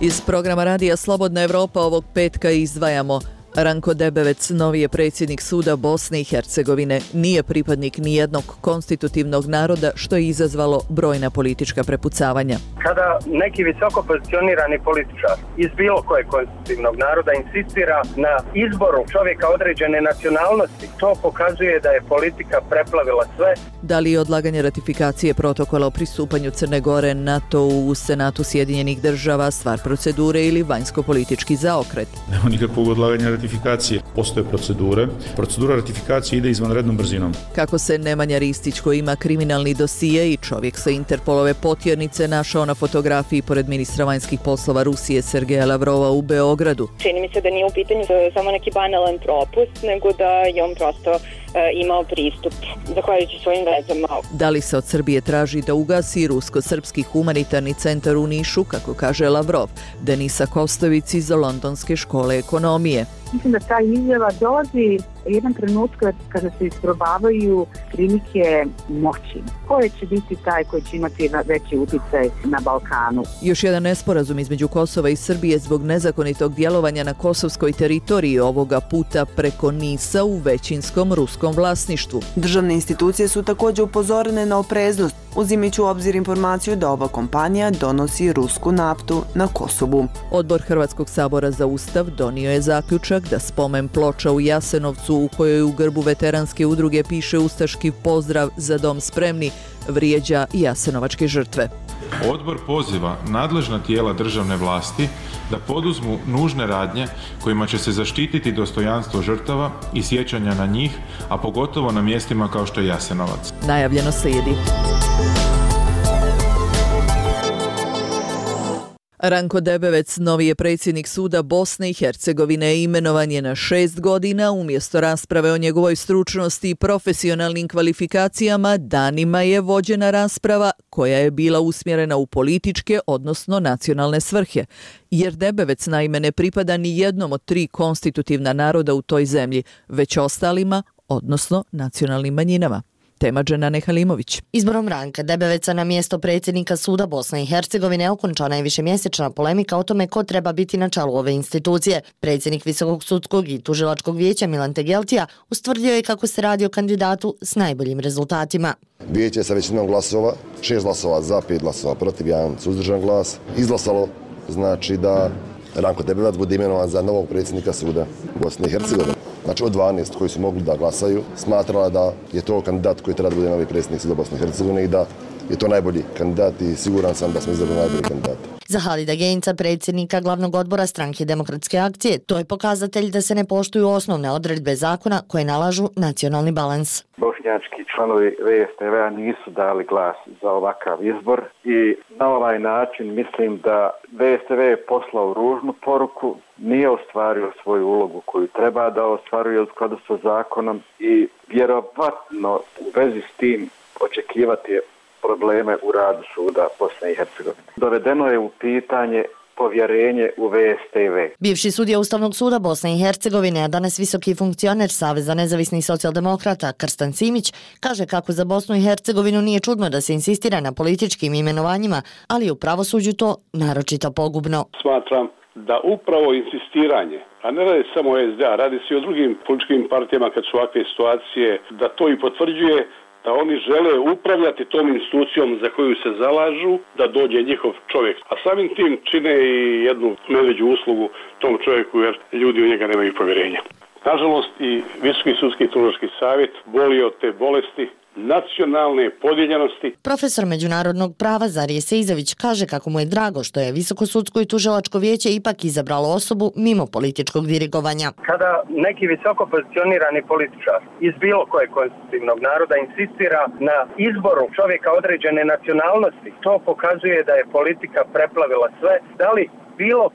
Iz programa Radija Slobodna Evropa ovog petka izdvajamo: Ranko Debevec, novi je predsjednik suda Bosne i Hercegovine, nije pripadnik nijednog konstitutivnog naroda, što je izazvalo brojna politička prepucavanja. Kada neki visoko pozicionirani političar iz bilo kojeg konstitutivnog naroda insistira na izboru čovjeka određene nacionalnosti, to pokazuje da je politika preplavila sve. Da li je odlaganje ratifikacije protokola o pristupanju Crne Gore NATO u Senatu Sjedinjenih država stvar procedure ili vanjsko-politički zaokret? Nema nikakvog odlaganja ratifikacije. Postoje procedure. Procedura ratifikacije ide izvanrednom brzinom. Kako se Nemanja Ristić, koji ima kriminalni dosije i čovjek sa Interpolove potjernice, našao na fotografiji pored ministra vanjskih poslova Rusije Sergeja Lavrova u Beogradu? Čini mi se da nije u pitanju samo neki banalan propust, nego da je on prosto imao pristup zahvaljujući svojim vezama. Da li se od Srbije traži da ugasi rusko-srpski humanitarni centar u Nišu, kako kaže Lavrov? Denisa Kostović iz Londonske škole ekonomije. Mislim da ta izjava dolazi jedan trenutak kada se isprobavaju prilike moći. Ko će biti taj koji će imati veći uticaj na Balkanu? Još jedan nesporazum između Kosova i Srbije zbog nezakonitog djelovanja na kosovskoj teritoriji, ovoga puta preko Nisa u većinskom ruskom vlasništvu. Državne institucije su također upozorene na opreznost, uzimajući u obzir informaciju da ova kompanija donosi rusku naftu na Kosovu. Odbor Hrvatskog sabora za Ustav donio je zaključak da spomen ploča u Jasenovcu, u kojoj u grbu veteranske udruge piše ustaški pozdrav "Za dom spremni", vrijeđa jasenovačke žrtve. Odbor poziva nadležna tijela državne vlasti da poduzmu nužne radnje kojima će se zaštititi dostojanstvo žrtava i sjećanja na njih, a pogotovo na mjestima kao što je Jasenovac. Najavljeno slijedi. Ranko Debevec, novi je predsjednik suda Bosne i Hercegovine, imenovan je na 6 godina. Umjesto rasprave o njegovoj stručnosti i profesionalnim kvalifikacijama, danima je vođena rasprava koja je bila usmjerena u političke, odnosno nacionalne svrhe. Jer Debevec naime ne pripada ni jednom od 3 konstitutivna naroda u toj zemlji, već ostalima, odnosno nacionalnim manjinama. Tema Dženane Halimović. Izborom Ranka Debeveca na mjesto predsjednika suda Bosne i Hercegovine okončana je višemjesečna polemika o tome ko treba biti na čelu ove institucije. Predsjednik Visokog sudskog i tužilačkog vijeća Milan Tegeltija ustvrdio je kako se radi o kandidatu s najboljim rezultatima. Vijeće sa većinom glasova, 6 glasova za, 5 glasova protiv, 1 suzdržan glas, izglasalo znači da Ranko Debevac bude imenovan za novog predsjednika suda Bosne i Hercegovine. Znači od 12 koji su mogli da glasaju, smatrala da je to kandidat koji treba da bude novi predsjednik suda Bosne i Hercegovine i da je to najbolji kandidat i siguran sam da smo izabrali najbolji kandidat. Za Halida Genca, predsjednika glavnog odbora Stranke demokratske akcije, to je pokazatelj da se ne poštuju osnovne odredbe zakona koje nalažu nacionalni balans. Bošnjački članovi VSTV-a nisu dali glas za ovakav izbor i na ovaj način mislim da VSTV je poslao ružnu poruku, nije ostvario svoju ulogu koju treba da ostvaruje u skladu sa zakonom i vjerovatno u vezi s tim očekivati probleme u radu suda Bosne i Hercegovine. Dovedeno je u pitanje povjerenje u VSTV. Bivši sudija Ustavnog suda Bosne i Hercegovine, a danas visoki funkcioner Saveza nezavisnih socijaldemokrata Krstan Simić, kaže kako za Bosnu i Hercegovinu nije čudno da se insistira na političkim imenovanjima, ali u pravosuđu to naročito pogubno. Smatram da upravo insistiranje, a ne radi samo o SDA, radi se i o drugim političkim partijama kad su ovakve situacije, da to i potvrđuje da oni žele upravljati tom institucijom za koju se zalažu, da dođe njihov čovjek. A samim tim čine i jednu medveđu uslugu tom čovjeku jer ljudi u njega nemaju povjerenja. Nažalost, i Visoki sudski tužilački savjet boli od te bolesti nacionalne podijeljenosti. Profesor međunarodnog prava Zarije Seizović kaže kako mu je drago što je Visoko sudsko i tužilačko vijeće ipak izabralo osobu mimo političkog dirigovanja. Kada neki visoko pozicionirani političar iz bilo kojeg konstitutivnog naroda insistira na izboru čovjeka određene nacionalnosti, to pokazuje da je politika preplavila sve. Da li bilo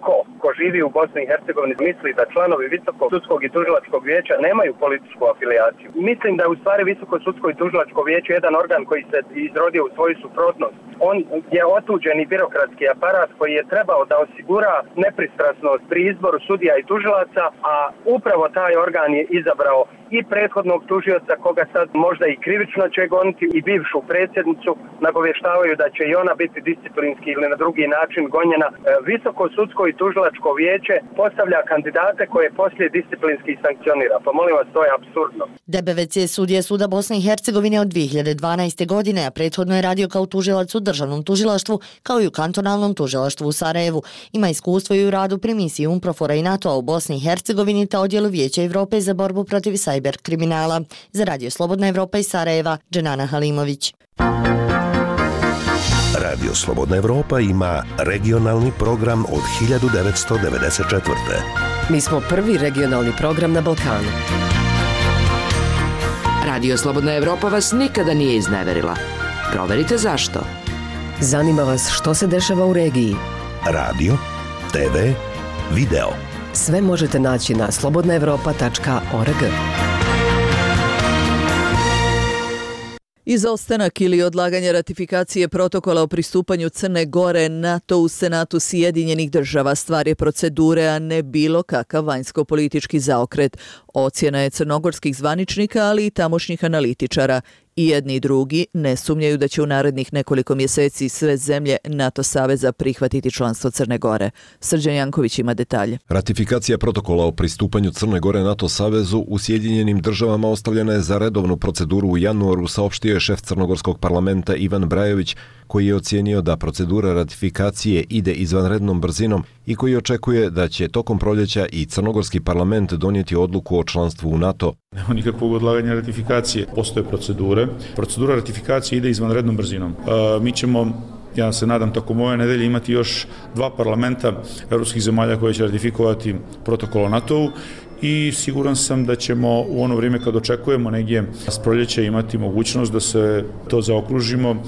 ko živi u Bosni i Hercegovini misli da članovi Visokog sudskog i tužilačkog vijeća nemaju političku afiliaciju. Mislim da je u stvari Visoko sudsko i tužilačko vijeće jedan organ koji se izrodio u svoju suprotnost. On je otuđeni birokratski aparat koji je trebao da osigura nepristrasnost pri izboru sudija i tužilaca, a upravo taj organ je izabrao i prethodnog tužioca koga sad možda i krivično će goniti i bivšu predsjednicu, nagovještavaju da će i ona biti disciplinski ili na drugi način gonjena. Visoko sudsko i tužilačko vijeće postavlja kandidate koje poslije disciplinski sankcionira. Pa molim vas, to je apsurdno. Debevec je sudija Suda Bosne i Hercegovine od 2012. godine, a prethodno je radio kao tužilac u državnom tužilaštvu kao i u kantonalnom tužilaštvu u Sarajevu. Ima iskustvo i u radu pri misiji UNPROFOR-a i NATO-a u Bosni i Hercegovini te odjelu Vijeća Evrope za borbu protiv cyber kriminala. Za Radio Slobodna Evropa iz Sarajeva, Dženana Halimović. Radio Slobodna Evropa ima regionalni program od 1994. Mi smo prvi regionalni program na Balkanu. Radio Slobodna Evropa vas nikada nije izneverila. Proverite zašto. Zanima vas što se dešava u regiji. Radio, TV, video. Sve možete naći na slobodnaevropa.org. Izostanak ili odlaganje ratifikacije protokola o pristupanju Crne Gore NATO u Senatu Sjedinjenih država stvar je procedure, a ne bilo kakav vanjsko-politički zaokret. Ocjena je crnogorskih zvaničnika, ali i tamošnjih analitičara. I jedni i drugi ne sumnjaju da će u narednih nekoliko mjeseci sve zemlje NATO saveza prihvatiti članstvo Crne Gore. Srđan Janković ima detalje. Ratifikacija protokola o pristupanju Crne Gore NATO savezu u Sjedinjenim državama ostavljena je za redovnu proceduru u januaru, saopštio je šef crnogorskog parlamenta Ivan Brajović, koji je ocijenio da procedura ratifikacije ide izvanrednom brzinom i koji očekuje da će tokom proljeća i crnogorski parlament donijeti odluku o članstvu u NATO. Nema nikakvog odlaganja ratifikacije. Postoje procedure. Procedura ratifikacije ide izvanrednom brzinom. Mi ćemo, ja se nadam, tokom ove nedelje imati još 2 parlamenta evropskih zemalja koje će ratifikovati protokol o NATO-u i siguran sam da ćemo u ono vrijeme kad očekujemo negdje s proljeća imati mogućnost da se to zaokružimo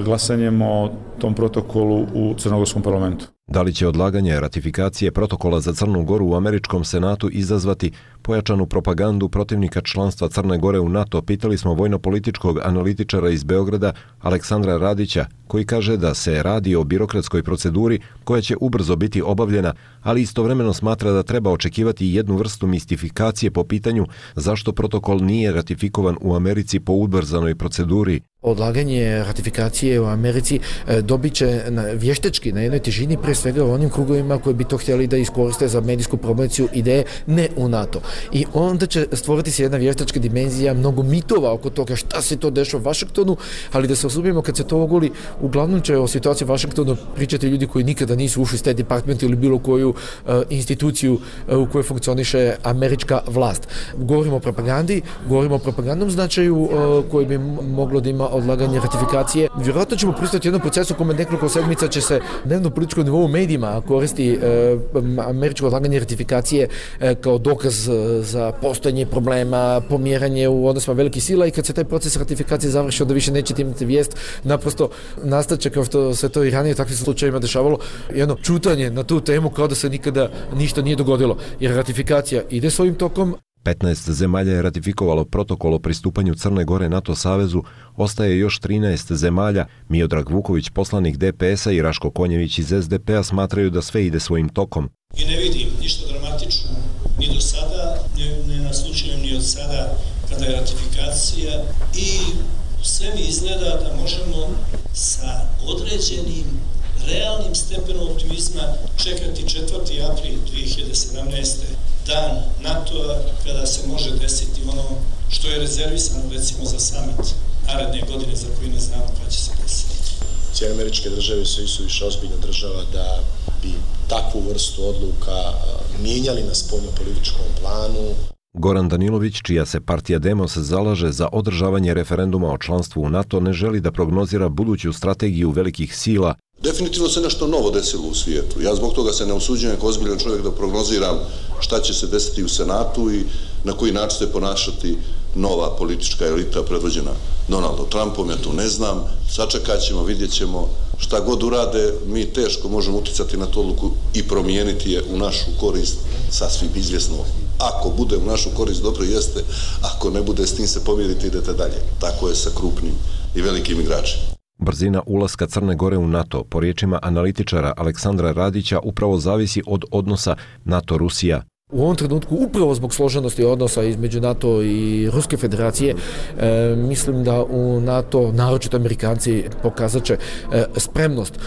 glasanjem o tom protokolu u crnogorskom parlamentu. Da li će odlaganje ratifikacije protokola za Crnu Goru u američkom senatu izazvati pojačanu propagandu protivnika članstva Crne Gore u NATO, pitali smo vojno-političkog analitičara iz Beograda Aleksandra Radića, koji kaže da se radi o birokratskoj proceduri koja će ubrzo biti obavljena, ali istovremeno smatra da treba očekivati jednu vrstu mistifikacije po pitanju zašto protokol nije ratifikovan u Americi po ubrzanoj proceduri. Odlaganje ratifikacije u Americi dobit će vještečki na jednoj težini, pre svega u onim krugovima koji bi to htjeli da iskoriste za medijsku promociju ideje, ne u NATO. I onda će stvoriti se jedna vještačka dimenzija, mnogo mitova oko toga šta se to dešava u Vašingtonu, ali da se osubimo kad se to ogoli, uglavnom će o situaciji u Vašingtonu pričati ljudi koji nikada nisu ušli u State Department ili bilo koju instituciju u kojoj funkcioniše američka vlast. Govorimo o propagandi, govorimo o propagandnom značaju koji bi moglo da ima odlaganje ratifikacije. Vjerojatno ćemo pristati jednom procesu kome nekoliko sedmica će se dnevno političkom nivou u medijima koristi američko odlaganje ratifikacije kao dokaz za postojanje problema, pomjeranje u odnosima velikih sila i kad se taj proces ratifikacije završi, onda više nećete imati vijest, naprosto nastaće kao što se to i ranije u takvim slučajevima dešavalo, jedno čutanje na tu temu kao da se nikada ništa nije dogodilo, jer ratifikacija ide svojim tokom. 15 zemalja je ratifikovalo protokol o pristupanju Crne Gore NATO savezu, ostaje još 13 zemalja. Miodrag Vuković, poslanik DPS-a, i Raško Konjević iz SDP-a smatraju da sve ide svojim tokom. I ne vidim ništa dramatično ni do sada, ne naslučujem ni od sada kada je ratifikacija i sve mi izgleda da možemo sa određenim realnim stepenom optimizma čekati 4. april 2017. dan NATO-a kada se može desiti ono što je rezervisano recimo za summit naredne godine za koji ne znamo kada će se desiti. Sjedinjene Američke Države su više ozbiljna država da bi takvu vrstu odluka mijenjali na spoljnopolitičkom planu. Goran Danilović, čija se partija Demos zalaže za održavanje referenduma o članstvu u NATO, ne želi da prognozira buduću strategiju velikih sila. Definitivno se nešto novo desilo u svijetu. Ja zbog toga se ne usuđujem kao ozbiljan čovjek da prognoziram šta će se desiti u Senatu i na koji način se ponašati nova politička elita predvođena Donaldom Trumpom. Ja to ne znam. Sačekat ćemo, vidjet ćemo šta god urade. Mi teško možemo utjecati na tu odluku i promijeniti je u našu korist, sasvim izvjesno. Ako bude u našu korist, dobro jeste. Ako ne bude, s tim se pomiriti, idete dalje. Tako je sa krupnim i velikim igračima. Brzina ulaska Crne Gore u NATO, po riječima analitičara Aleksandra Radića, upravo zavisi od odnosa NATO-Rusija. U ovom trenutku, upravo zbog složenosti odnosa između NATO i Ruske federacije, mislim da u NATO, naročito Amerikanci, pokazat će spremnost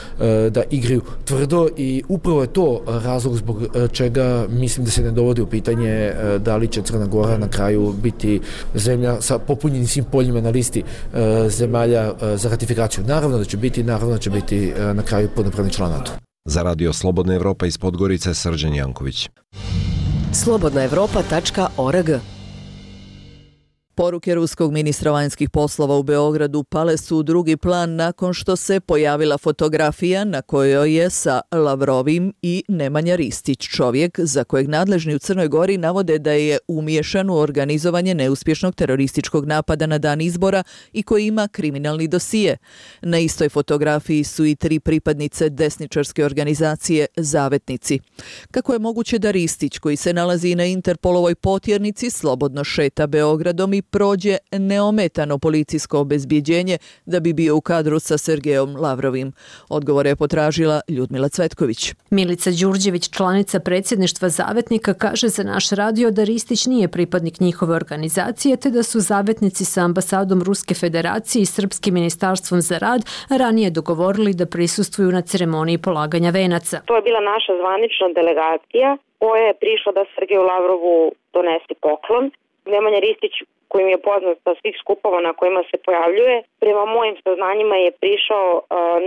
da igraju tvrdo i upravo je to razlog zbog čega mislim da se ne dovodi u pitanje da li će Crna Gora na kraju biti zemlja sa popunjenim svim poljima na listi zemalja za ratifikaciju. Naravno da će biti na kraju punopravni član NATO. Za Radio Slobodna Evropa iz Podgorice, Srđan Janković. slobodnaevropa.org. Poruke ruskog ministra vanjskih poslova u Beogradu pale su u drugi plan nakon što se pojavila fotografija na kojoj je sa Lavrovim i Nemanja Ristić, čovjek za kojeg nadležni u Crnoj Gori navode da je umiješan u organizovanje neuspješnog terorističkog napada na dan izbora i koji ima kriminalni dosije. Na istoj fotografiji su i 3 pripadnice desničarske organizacije Zavetnici. Kako je moguće da Ristić, koji se nalazi na Interpolovoj potjernici, slobodno šeta Beogradom i prođe neometano policijsko obezbjeđenje da bi bio u kadru sa Sergejom Lavrovim? Odgovore je potražila Ljudmila Cvetković. Milica Đurđević, članica predsjedništva Zavetnika, kaže za naš radio da Ristić nije pripadnik njihove organizacije, te da su Zavetnici sa ambasadom Ruske federacije i Srpskim ministarstvom za rad ranije dogovorili da prisustvuju na ceremoniji polaganja venaca. To je bila naša zvanična delegacija koja je prišla da Sergeju Lavrovu donese poklon. Nemanja Ristić, kojim je poznat sa svih skupova na kojima se pojavljuje, prema mojim saznanjima je prišao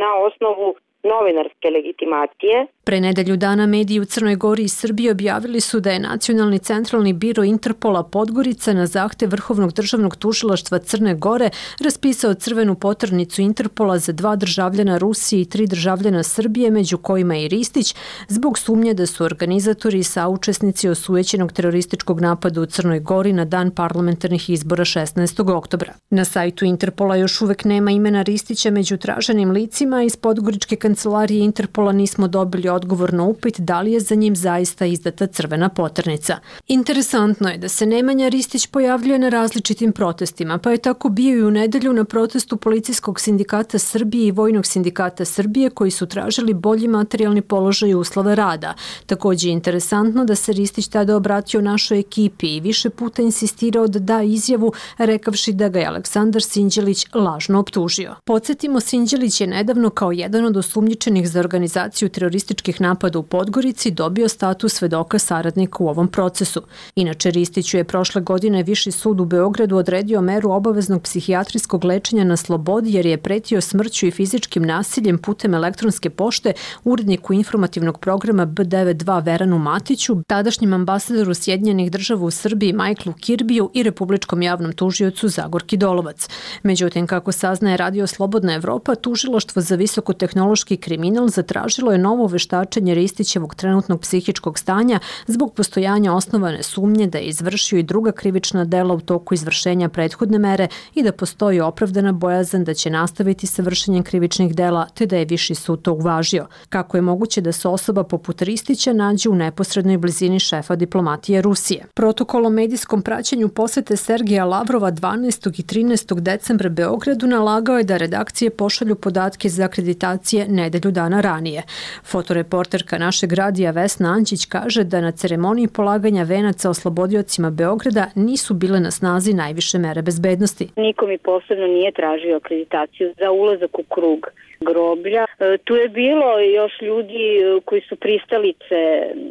na osnovu novinarske legitimacije. Pre nedelju dana mediji u Crnoj Gori i Srbiji objavili su da je Nacionalni centralni biro Interpola Podgorica na zahtev Vrhovnog državnog tužilaštva Crne Gore raspisao crvenu poternicu Interpola za 2 državljana Rusije i 3 državljana Srbije, među kojima i Ristić, zbog sumnje da su organizatori i saučesnici osujećenog terorističkog napada u Crnoj Gori na dan parlamentarnih izbora 16. oktobra. Na sajtu Interpola još uvek nema imena Ristića među traženim licima. Iz podgoričke kancelarije Interpola nismo dobili odgovor na upit da li je za njim zaista izdata crvena poternica. Interesantno je da se Nemanja Ristić pojavljuje na različitim protestima, pa je tako bio i u nedelju na protestu Policijskog sindikata Srbije i Vojnog sindikata Srbije, koji su tražili bolji materijalni položaj i uslove rada. Također je interesantno da se Ristić tada obratio našoj ekipi i više puta insistirao da da izjavu, rekavši da ga je Aleksandar Sinđelić lažno optužio. Podsjetimo, Sinđelić je nedavno kao jedan od osumnjičenih za organizaciju terorističkih napada u Podgorici dobio status svedoka saradnika u ovom procesu. Inače, Ristiću je prošle godine Viši sud u Beogradu odredio meru obaveznog psihijatrijskog lečenja na slobodi jer je pretio smrću i fizičkim nasiljem putem elektronske pošte uredniku informativnog programa B92 Veranu Matiću, tadašnjem ambasadoru Sjedinjenih država u Srbiji Michaelu Kirbiju i republičkom javnom tužiocu Zagorki Dolovac. Međutim, kako saznaje Radio Slobodna Evropa, tužilaštvo za visokotehnološki kriminal zatražilo je novo veštačenje Ristićevog trenutnog psihičkog stanja zbog postojanja osnovane sumnje da je izvršio i druga krivična dela u toku izvršenja prethodne mere i da postoji opravdana bojazan da će nastaviti sa vršenjem krivičnih dela, te da je Viši sud to uvažio. Kako je moguće da se osoba poput Ristića nađe u neposrednoj blizini šefa diplomatije Rusije? Protokol o medijskom praćenju posete Sergeja Lavrova 12. i 13. decembra Beogradu nalagao je da redakcije pošalju podatke za akreditacije nedelju dana ranije. Fotoreporterka našeg radija Vesna Anđić kaže da na ceremoniji polaganja venaca oslobodiocima Beograda nisu bile na snazi najviše mere bezbednosti. Niko mi posebno nije tražio akreditaciju za ulazak u krug groblja. Tu je bilo još ljudi koji su pristalice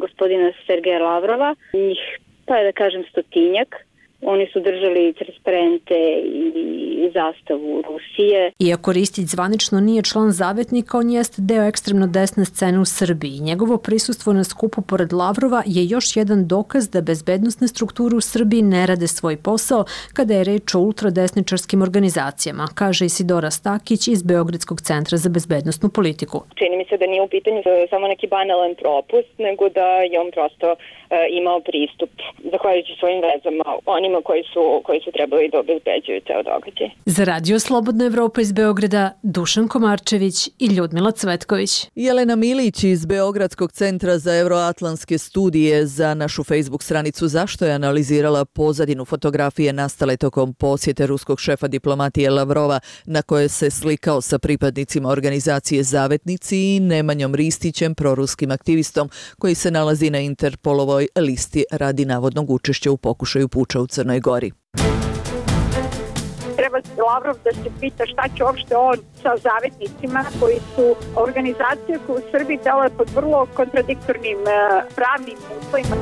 gospodina Sergeja Lavrova, njih, pa da kažem, 100-tinjak. Oni su držali transparente i zastavu Rusije. Iako Ristić zvanično nije član Zavetnika, on jeste deo ekstremno desne scene u Srbiji. Njegovo prisustvo na skupu pored Lavrova je još jedan dokaz da bezbednosne strukture u Srbiji ne rade svoj posao kada je reč o ultradesničarskim organizacijama, kaže Isidora Stakić iz Beogradskog centra za bezbednosnu politiku. Čini mi se da nije u pitanju samo neki banalan propust, nego da je on prosto imao pristup, zahvaljujući svojim vezama, onima koji su trebali da obezbeđuju ceo događaj. Za Radio Slobodna Evropa iz Beograda, Dušan Komarčević i Ljudmila Cvetković. Jelena Milić iz Beogradskog centra za euroatlantske studije za našu Facebook stranicu Zašto je analizirala pozadinu fotografije nastale tokom posjete ruskog šefa diplomatije Lavrova, na koje se slikao sa pripadnicima organizacije Zavetnici i Nemanjom Ristićem, proruskim aktivistom koji se nalazi na Interpolovoj listi radi navodnog učešća u pokušaju puča u Crnoj Gori. Treba Lavrov da se pita šta će uopšte on sa Zavetnicima, koji su organizacije koje u Srbiji deluje pod vrlo kontradiktornim pravnim uslovima.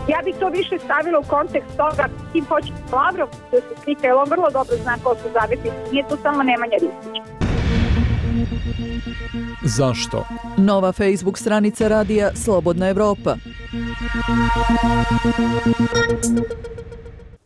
Ja bih to više stavila u kontekst toga kim hoće Lavrov da se slika, jer on vrlo dobro zna ko su Zavetnici. Nije to samo Nemanja Ristić. Zašto? Nova Facebook stranica radija Slobodna Evropa.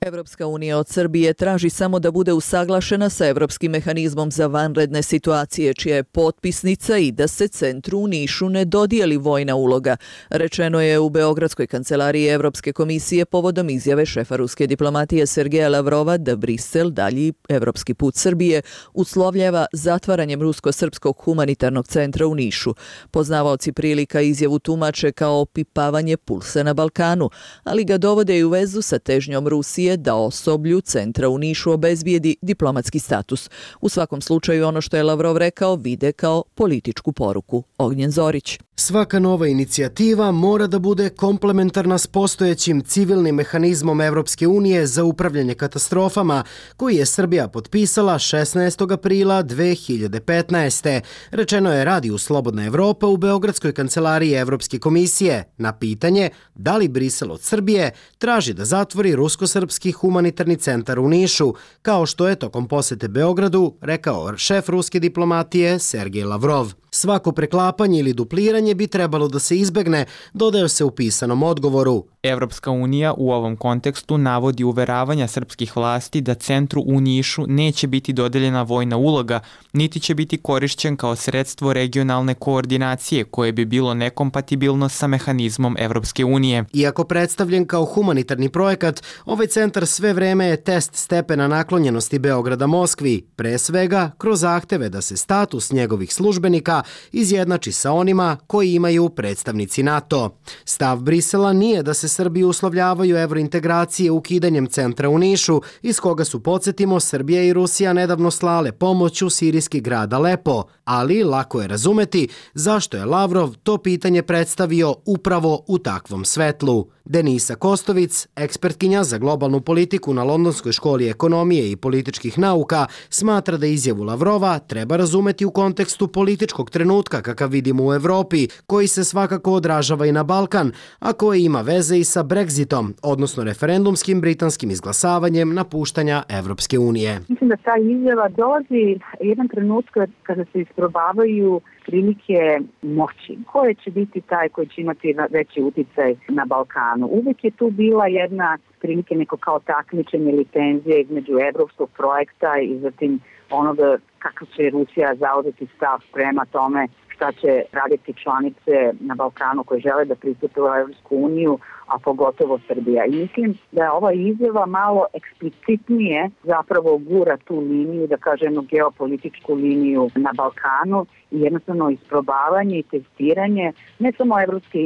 Evropska unija od Srbije traži samo da bude usaglašena sa Evropskim mehanizmom za vanredne situacije, čija je potpisnica, i da se centru u Nišu ne dodijeli vojna uloga, rečeno je u Beogradskoj kancelariji Evropske komisije povodom izjave šefa ruske diplomatije Sergeja Lavrova da Brisel dalji evropski put Srbije uslovljava zatvaranjem rusko-srpskog humanitarnog centra u Nišu. Poznavaoci prilika izjavu tumače kao opipavanje pulsa na Balkanu, ali ga dovode i u vezu sa težnjom Rusije da osoblju centra u Nišu obezbijedi diplomatski status. U svakom slučaju ono što je Lavrov rekao vide kao političku poruku. Ognjen Zorić. Svaka nova inicijativa mora da bude komplementarna s postojećim civilnim mehanizmom Evropske unije za upravljanje katastrofama, koji je Srbija potpisala 16. aprila 2015. Rečeno je radiju Slobodna Evropa u Beogradskoj kancelariji Evropske komisije na pitanje da li Brisel od Srbije traži da zatvori rusko-srpski humanitarni centar u Nišu, kao što je tokom posete Beogradu rekao šef ruske diplomatije Sergej Lavrov. Svako preklapanje ili dupliranje bi trebalo da se izbegne, dodaje se u pisanom odgovoru. Evropska unija u ovom kontekstu navodi uveravanja srpskih vlasti da centru u Nišu neće biti dodeljena vojna uloga, niti će biti korišćen kao sredstvo regionalne koordinacije koje bi bilo nekompatibilno sa mehanizmom Evropske unije. Iako predstavljen kao humanitarni projekat, ovaj centar sve vreme je test stepena naklonjenosti Beograda Moskvi, pre svega kroz zahteve da se status njegovih službenika izjednači sa onima koji imaju predstavnici NATO. Stav Brisela nije da se Srbiji uslovljavaju evrointegracije ukidanjem centra u Nišu, iz koga su, podsjetimo, Srbija i Rusija nedavno slale pomoć u sirijski grad Alepo, ali lako je razumeti zašto je Lavrov to pitanje predstavio upravo u takvom svetlu. Denisa Kostovic, ekspertkinja za globalnu politiku na Londonskoj školi ekonomije i političkih nauka, smatra da izjavu Lavrova treba razumeti u kontekstu političkog trenutka kakav vidimo u Evropi, koji se svakako odražava i na Balkan, a koji ima veze i sa Brexitom, odnosno referendumskim britanskim izglasavanjem napuštanja Evropske unije. Mislim da ta izjava dolazi jedan trenutak kada se isprobavaju prilike moći. Ko će biti taj koji će imati veći uticaj na Balkanu? Uvijek je tu bila jedna prilike neko kao takmičenje ili tenzije između evropskog projekta i zatim onoga kako će Rusija zauzeti stav prema tome šta će raditi članice na Balkanu koje žele da pristupe u Evropsku uniju, a pogotovo Srbija. I mislim da je ova izjava malo eksplicitnije zapravo gura tu liniju, da kažemo geopolitičku liniju na Balkanu i jednostavno isprobavanje i testiranje ne samo Evropske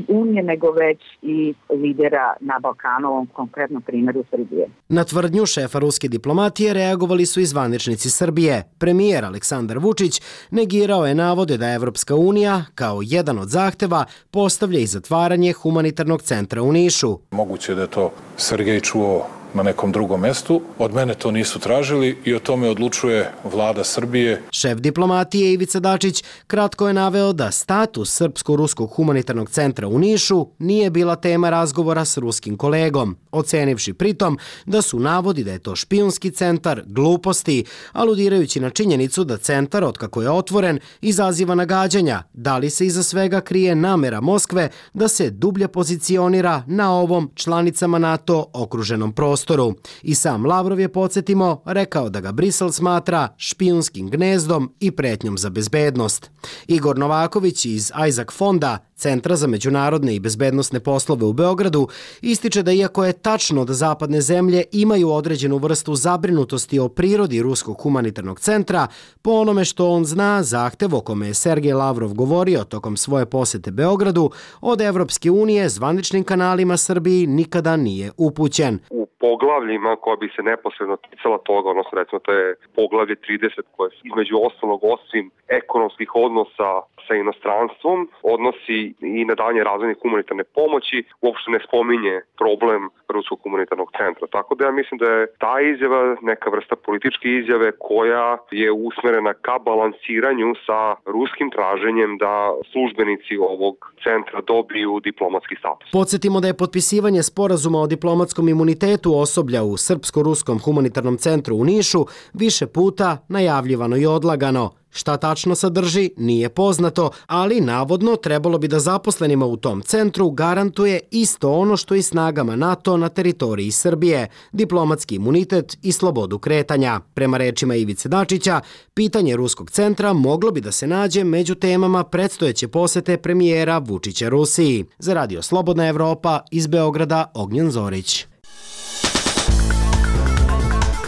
unije, nego već i lidera na Balkanu, ovom konkretnom primjeru Srbije. Na tvrdnju šefa ruske diplomatije reagovali su i zvaničnici Srbije. Premijer Aleksandar Vučić negirao je navode da Evropska unija, kao jedan od zahteva, postavlja i zatvaranje humanitarnog centra u Nišu. Moguće da je to Sergej čuo na nekom drugom mestu. Od mene to nisu tražili i o tome odlučuje vlada Srbije. Šef diplomatije Ivica Dačić kratko je naveo da status Srpsko-ruskog humanitarnog centra u Nišu nije bila tema razgovora s ruskim kolegom, ocenivši pritom da su navodi da je to špijunski centar gluposti, aludirajući na činjenicu da centar, otkako je otvoren, izaziva nagađanja da li se iza svega krije namera Moskve da se dublje pozicionira na ovom članicama NATO okruženom prostoru. I sam Lavrov je, podsjetimo, rekao da ga Brisel smatra špijunskim gnezdom i pretnjom za bezbednost. Igor Novaković iz Isaac fonda, Centra za međunarodne i bezbednosne poslove u Beogradu, ističe da iako je tačno da zapadne zemlje imaju određenu vrstu zabrinutosti o prirodi ruskog humanitarnog centra, po onome što on zna, zahtev o kome je Sergej Lavrov govorio tokom svoje posete Beogradu, od Evropske unije zvaničnim kanalima Srbiji nikada nije upućen. U poglavljima koja bi se neposredno ticala toga, odnosno recimo to je poglavlje 30 koje između ostalog osim ekonomskih odnosa sa inostranstvom odnosi i na dalje razvojne humanitarne pomoći, uopšte ne spominje problem ruskog humanitarnog centra. Tako da ja mislim da je ta izjava neka vrsta političke izjave koja je usmerena ka balansiranju sa ruskim traženjem da službenici ovog centra dobiju diplomatski status. Podsjetimo da je potpisivanje sporazuma o diplomatskom imunitetu osoblja u Srpsko-ruskom humanitarnom centru u Nišu više puta najavljivano i odlagano. Šta tačno sadrži, nije poznato, ali navodno trebalo bi da zaposlenima u tom centru garantuje isto ono što i snagama NATO na teritoriji Srbije, diplomatski imunitet i slobodu kretanja. Prema rečima Ivice Dačića, pitanje ruskog centra moglo bi da se nađe među temama predstojeće posete premijera Vučića Rusiji. Za Radio Slobodna Evropa, iz Beograda, Ognjen Zorić.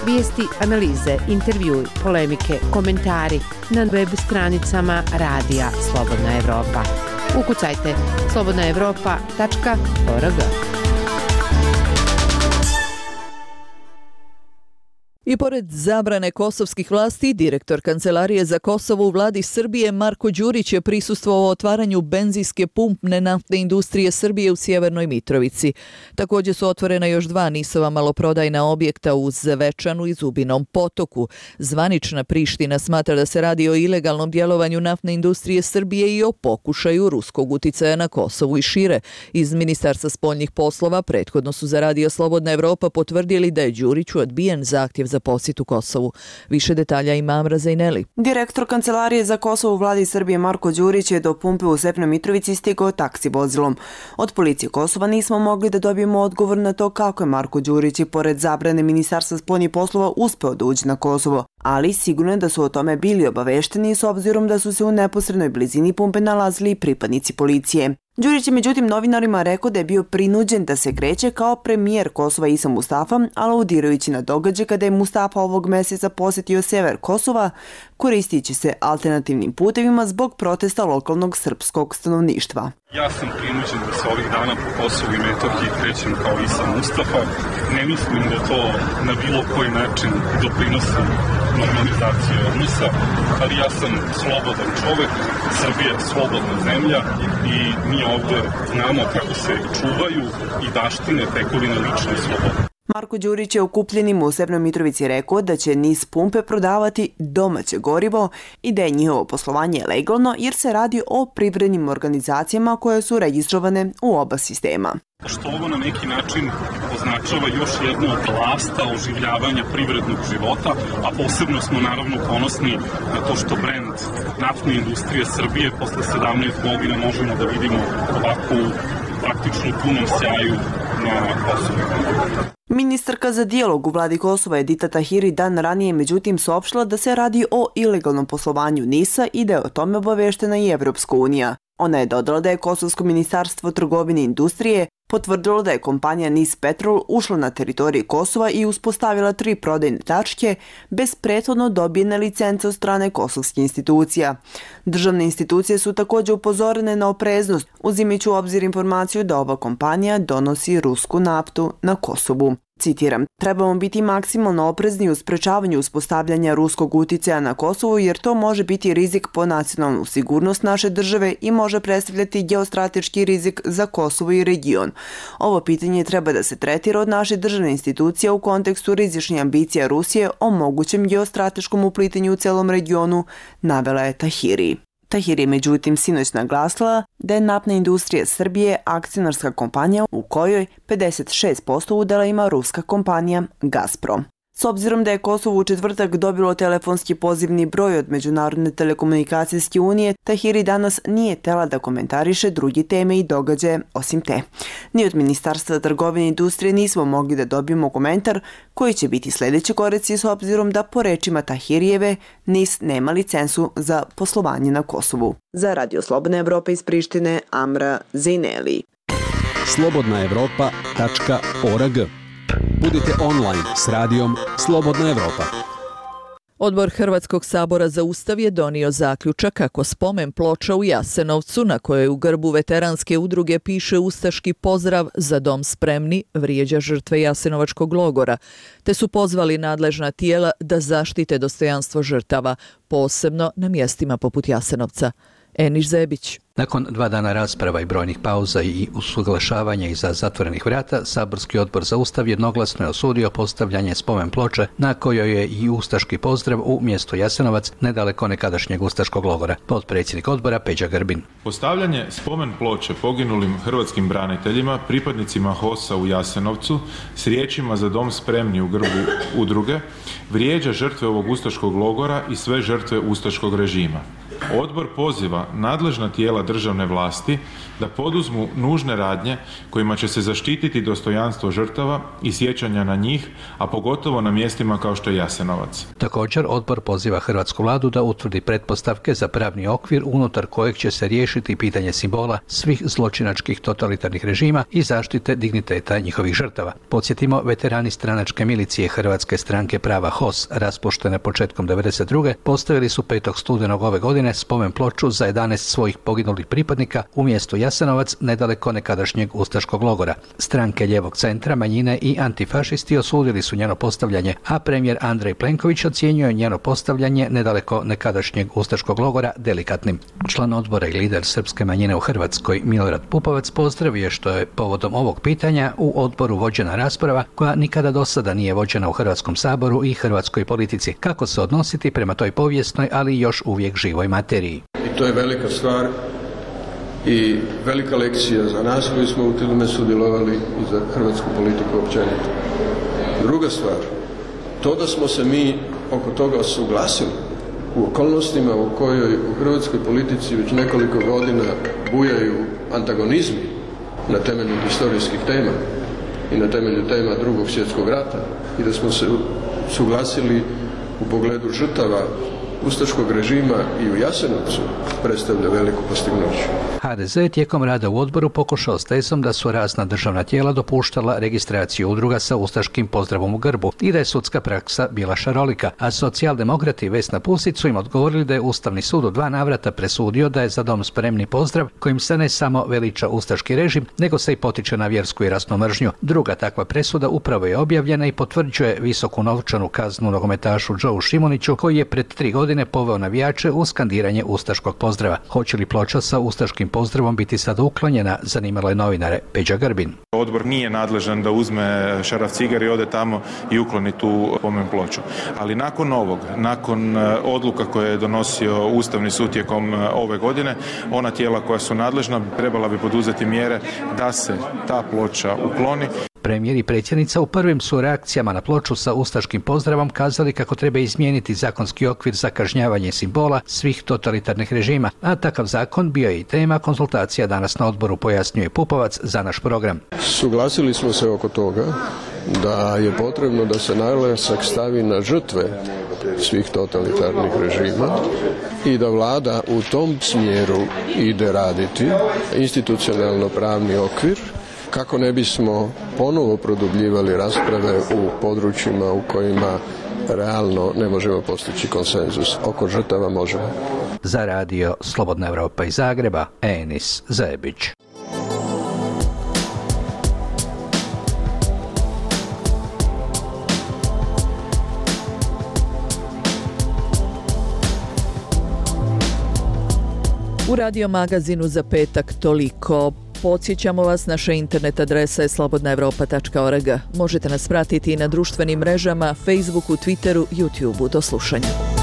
Vijesti, analize, intervjui, polemike, komentari na web stranicama Radija Slobodna Evropa. Ukucajte slobodnaevropa.org. I pored zabrane kosovskih vlasti, direktor Kancelarije za Kosovo u vladi Srbije Marko Đurić je prisustvovao otvaranju benzinske pumpne naftne industrije Srbije u Sjevernoj Mitrovici. Također su otvorena još 2 NIS-ova maloprodajna objekta u Zvečanu i Zubinom Potoku. Zvanična Priština smatra da se radi o ilegalnom djelovanju naftne industrije Srbije i o pokušaju ruskog uticaja na Kosovu i šire. Iz Ministarstva spoljnih poslova prethodno su za Radio Slobodna Evropa potvrdili da je Đuriću odbijen zahtjev za posjet u Kosovu. Više detalja ima Amra Zajneli. Direktor Kancelarije za Kosovo u vladi Srbije Marko Đurić je do pumpe u Stepnoj Mitrovici stigao taksi vozilom. Od policije Kosova nismo mogli da dobijemo odgovor na to kako je Marko Đurić i pored zabrane Ministarstva spoljnih poslova uspeo da uđe na Kosovo, ali sigurno je da su o tome bili obavešteni s obzirom da su se u neposrednoj blizini pumpe nalazili i pripadnici policije. Đurić je međutim novinarima rekao da je bio prinuđen da se kreće kao premijer Kosova Isa Mustafa, aludirajući na događaj kada je Mustafa ovog mjeseca posjetio sever Kosova, koristići se alternativnim putevima zbog protesta lokalnog srpskog stanovništva. Ja sam prinuđen da se ovih dana po Kosovu i Metohiji krećem kao Isa Mustafa. Ne mislim da to na bilo koji način doprinosi normalizacije odnosa, ali ja sam slobodan čovek, Srbija je slobodna zemlja i mi ovdje znamo kako se čuvaju i baštine tekovine lične slobode. Marko Đurić je okupljenima u Severnoj Mitrovici rekao da će NIS pumpe prodavati domaće gorivo i da je njihovo poslovanje legalno jer se radi o privrednim organizacijama koje su registrovane u oba sistema. Što ovo na neki način označava još jednu od lasta oživljavanja privrednog života, a posebno smo naravno ponosni na to što brend naftne industrije Srbije posle 17 godina možemo da vidimo ovako u praktično punom sjaju na Kosovu. Ministarka za dijalog u vladi Kosova Edita Tahiri dan ranije međutim saopštila da se radi o ilegalnom poslovanju NIS-a i da je o tome obaveštena i Evropska unija. Ona je dodala da je Kosovsko ministarstvo trgovine i industrije potvrdilo da je kompanija NIS Petrol ušla na teritoriji Kosova i uspostavila 3 prodajne tačke bez prethodno dobijene licence od strane kosovskih institucija. Državne institucije su također upozorene na opreznost, uzimajući u obzir informaciju da ova kompanija donosi rusku naftu na Kosovu. Citiram, trebamo biti maksimalno oprezni u sprečavanju uspostavljanja ruskog uticaja na Kosovu jer to može biti rizik po nacionalnu sigurnost naše države i može predstavljati geostrateški rizik za Kosovo i region. Ovo pitanje treba da se tretira od naše državne institucije u kontekstu rizičnih ambicija Rusije o mogućem geostrateškom uplitanju u celom regionu, navela je Tahiri. Tahiri je međutim sinoć naglasila da je Naftna industrija Srbije akcionarska kompanija u kojoj 56% udela ima ruska kompanija Gazprom. S obzirom da je Kosovo u četvrtak dobilo telefonski pozivni broj od Međunarodne telekomunikacijske unije, Tahiri danas nije htela da komentariše druge teme i događaje osim te. Ni od Ministarstva trgovine i industrije nismo mogli da dobijemo komentar koji će biti sljedeći koraci s obzirom da po rečima Tahirijeve NIS nema licencu za poslovanje na Kosovu. Za Radio Slobodna Evropa iz Prištine, Amra Zineli. slobodnaevropa.org. Budite online s radijom Slobodna Evropa. Odbor Hrvatskog sabora za Ustav je donio zaključak kako spomen ploča u Jasenovcu, na kojoj u grbu veteranske udruge piše ustaški pozdrav "Za dom spremni", vrijeđa žrtve Jasenovačkog logora, te su pozvali nadležna tijela da zaštite dostojanstvo žrtava, posebno na mjestima poput Jasenovca. Eniš Zebić. Nakon 2 dana rasprava i brojnih pauza i usuglašavanja iza zatvorenih vrata, Saborski odbor za Ustav jednoglasno je osudio postavljanje spomen ploče na kojoj je i ustaški pozdrav u mjestu Jasenovac, nedaleko nekadašnjeg ustaškog logora. Potpredsjednik odbora Peđa Grbin. Postavljanje spomen ploče poginulim hrvatskim braniteljima, pripadnicima HOS-a u Jasenovcu, s riječima "Za dom spremni" u grbu udruge, vrijeđa žrtve ovog ustaškog logora i sve žrtve ustaškog režima. Odbor poziva nadležna tijela državne vlasti da poduzmu nužne radnje kojima će se zaštititi dostojanstvo žrtava i sjećanja na njih, a pogotovo na mjestima kao što je Jasenovac. Također, odbor poziva hrvatsku vladu da utvrdi pretpostavke za pravni okvir unutar kojeg će se riješiti pitanje simbola svih zločinačkih totalitarnih režima i zaštite digniteta njihovih žrtava. Podsjetimo, veterani stranačke milicije Hrvatske stranke prava HOS, raspuštene početkom 1992. postavili su 5. studenog ove godine spomen ploču za 11 svojih poginulih pripadnika u mjestu Jasenovac, nedaleko nekadašnjeg ustaškog logora. Stranke ljevog centra, manjine i antifašisti osudili su njeno postavljanje, a premijer Andrej Plenković ocjenjuje njeno postavljanje nedaleko nekadašnjeg ustaškog logora delikatnim. Član odbora i lider srpske manjine u Hrvatskoj, Milorad Pupovac, pozdravio što je povodom ovog pitanja u odboru vođena rasprava koja nikada do sada nije vođena u Hrvatskom saboru i hrvatskoj politici. Kako se odnositi prema toj povijesnoj, ali još uvijek živoj materiji. I to je velika stvar i velika lekcija za nas koji smo u tome sudjelovali i za hrvatsku politiku općenito. Druga stvar, to da smo se mi oko toga suglasili u okolnostima u kojoj u hrvatskoj politici već nekoliko godina bujaju antagonizmi na temelju historijskih tema i na temelju tema Drugog svjetskog rata i da smo se suglasili u pogledu žrtava ustaškog režima i u Jasenovcu, predstavlja veliko postignuće. HDZ je tijekom rada u odboru pokušao s tezom da su razna državna tijela dopuštala registraciju udruga sa ustaškim pozdravom u grbu i da je sudska praksa bila šarolika, a socijaldemokrati Vesna Pusić su im odgovorili da je Ustavni sud u 2 navrata presudio da je "Za dom spremni" pozdrav kojim se ne samo veliča ustaški režim, nego se i potiče na vjersku i rasnu mržnju. Druga takva presuda upravo je objavljena i potvrđuje visoku novčanu kaznu nogometašu Joeu Šimuniću, koji je pred 3 godine poveo navijače u skandiranje ustaškog pozdrava. Hoće li ploča sa ustaškim pozdravom biti sada uklonjena, zanimalo je novinare Peđa Grbin. Odbor nije nadležan da uzme šaraf cigare i ode tamo i ukloni tu spomen ploču. Ali nakon ovog, nakon odluka koje je donosio Ustavni sud tijekom ove godine, ona tijela koja su nadležna trebala bi poduzeti mjere da se ta ploča ukloni. Premijer i predsjednica u prvim su reakcijama na ploču sa ustaškim pozdravom kazali kako treba izmijeniti zakonski okvir za kažnjavanje simbola svih totalitarnih režima, a takav zakon bio je i tema konzultacija danas na odboru, pojasnjuje Pupovac za naš program. Suglasili smo se oko toga da je potrebno da se naglasak stavi na žrtve svih totalitarnih režima i da vlada u tom smjeru ide raditi institucionalno pravni okvir kako ne bismo ponovo produbljivali rasprave u područjima u kojima realno ne možemo postići konsenzus. Oko žrtava možemo. Za radio Slobodna Evropa iz Zagreba, Enis Zebić. U Radio magazinu za petak toliko. Podsjećamo vas, naša internet adresa je slobodnaevropa.org. Možete nas pratiti i na društvenim mrežama, Facebooku, Twitteru, YouTubeu. Do slušanja.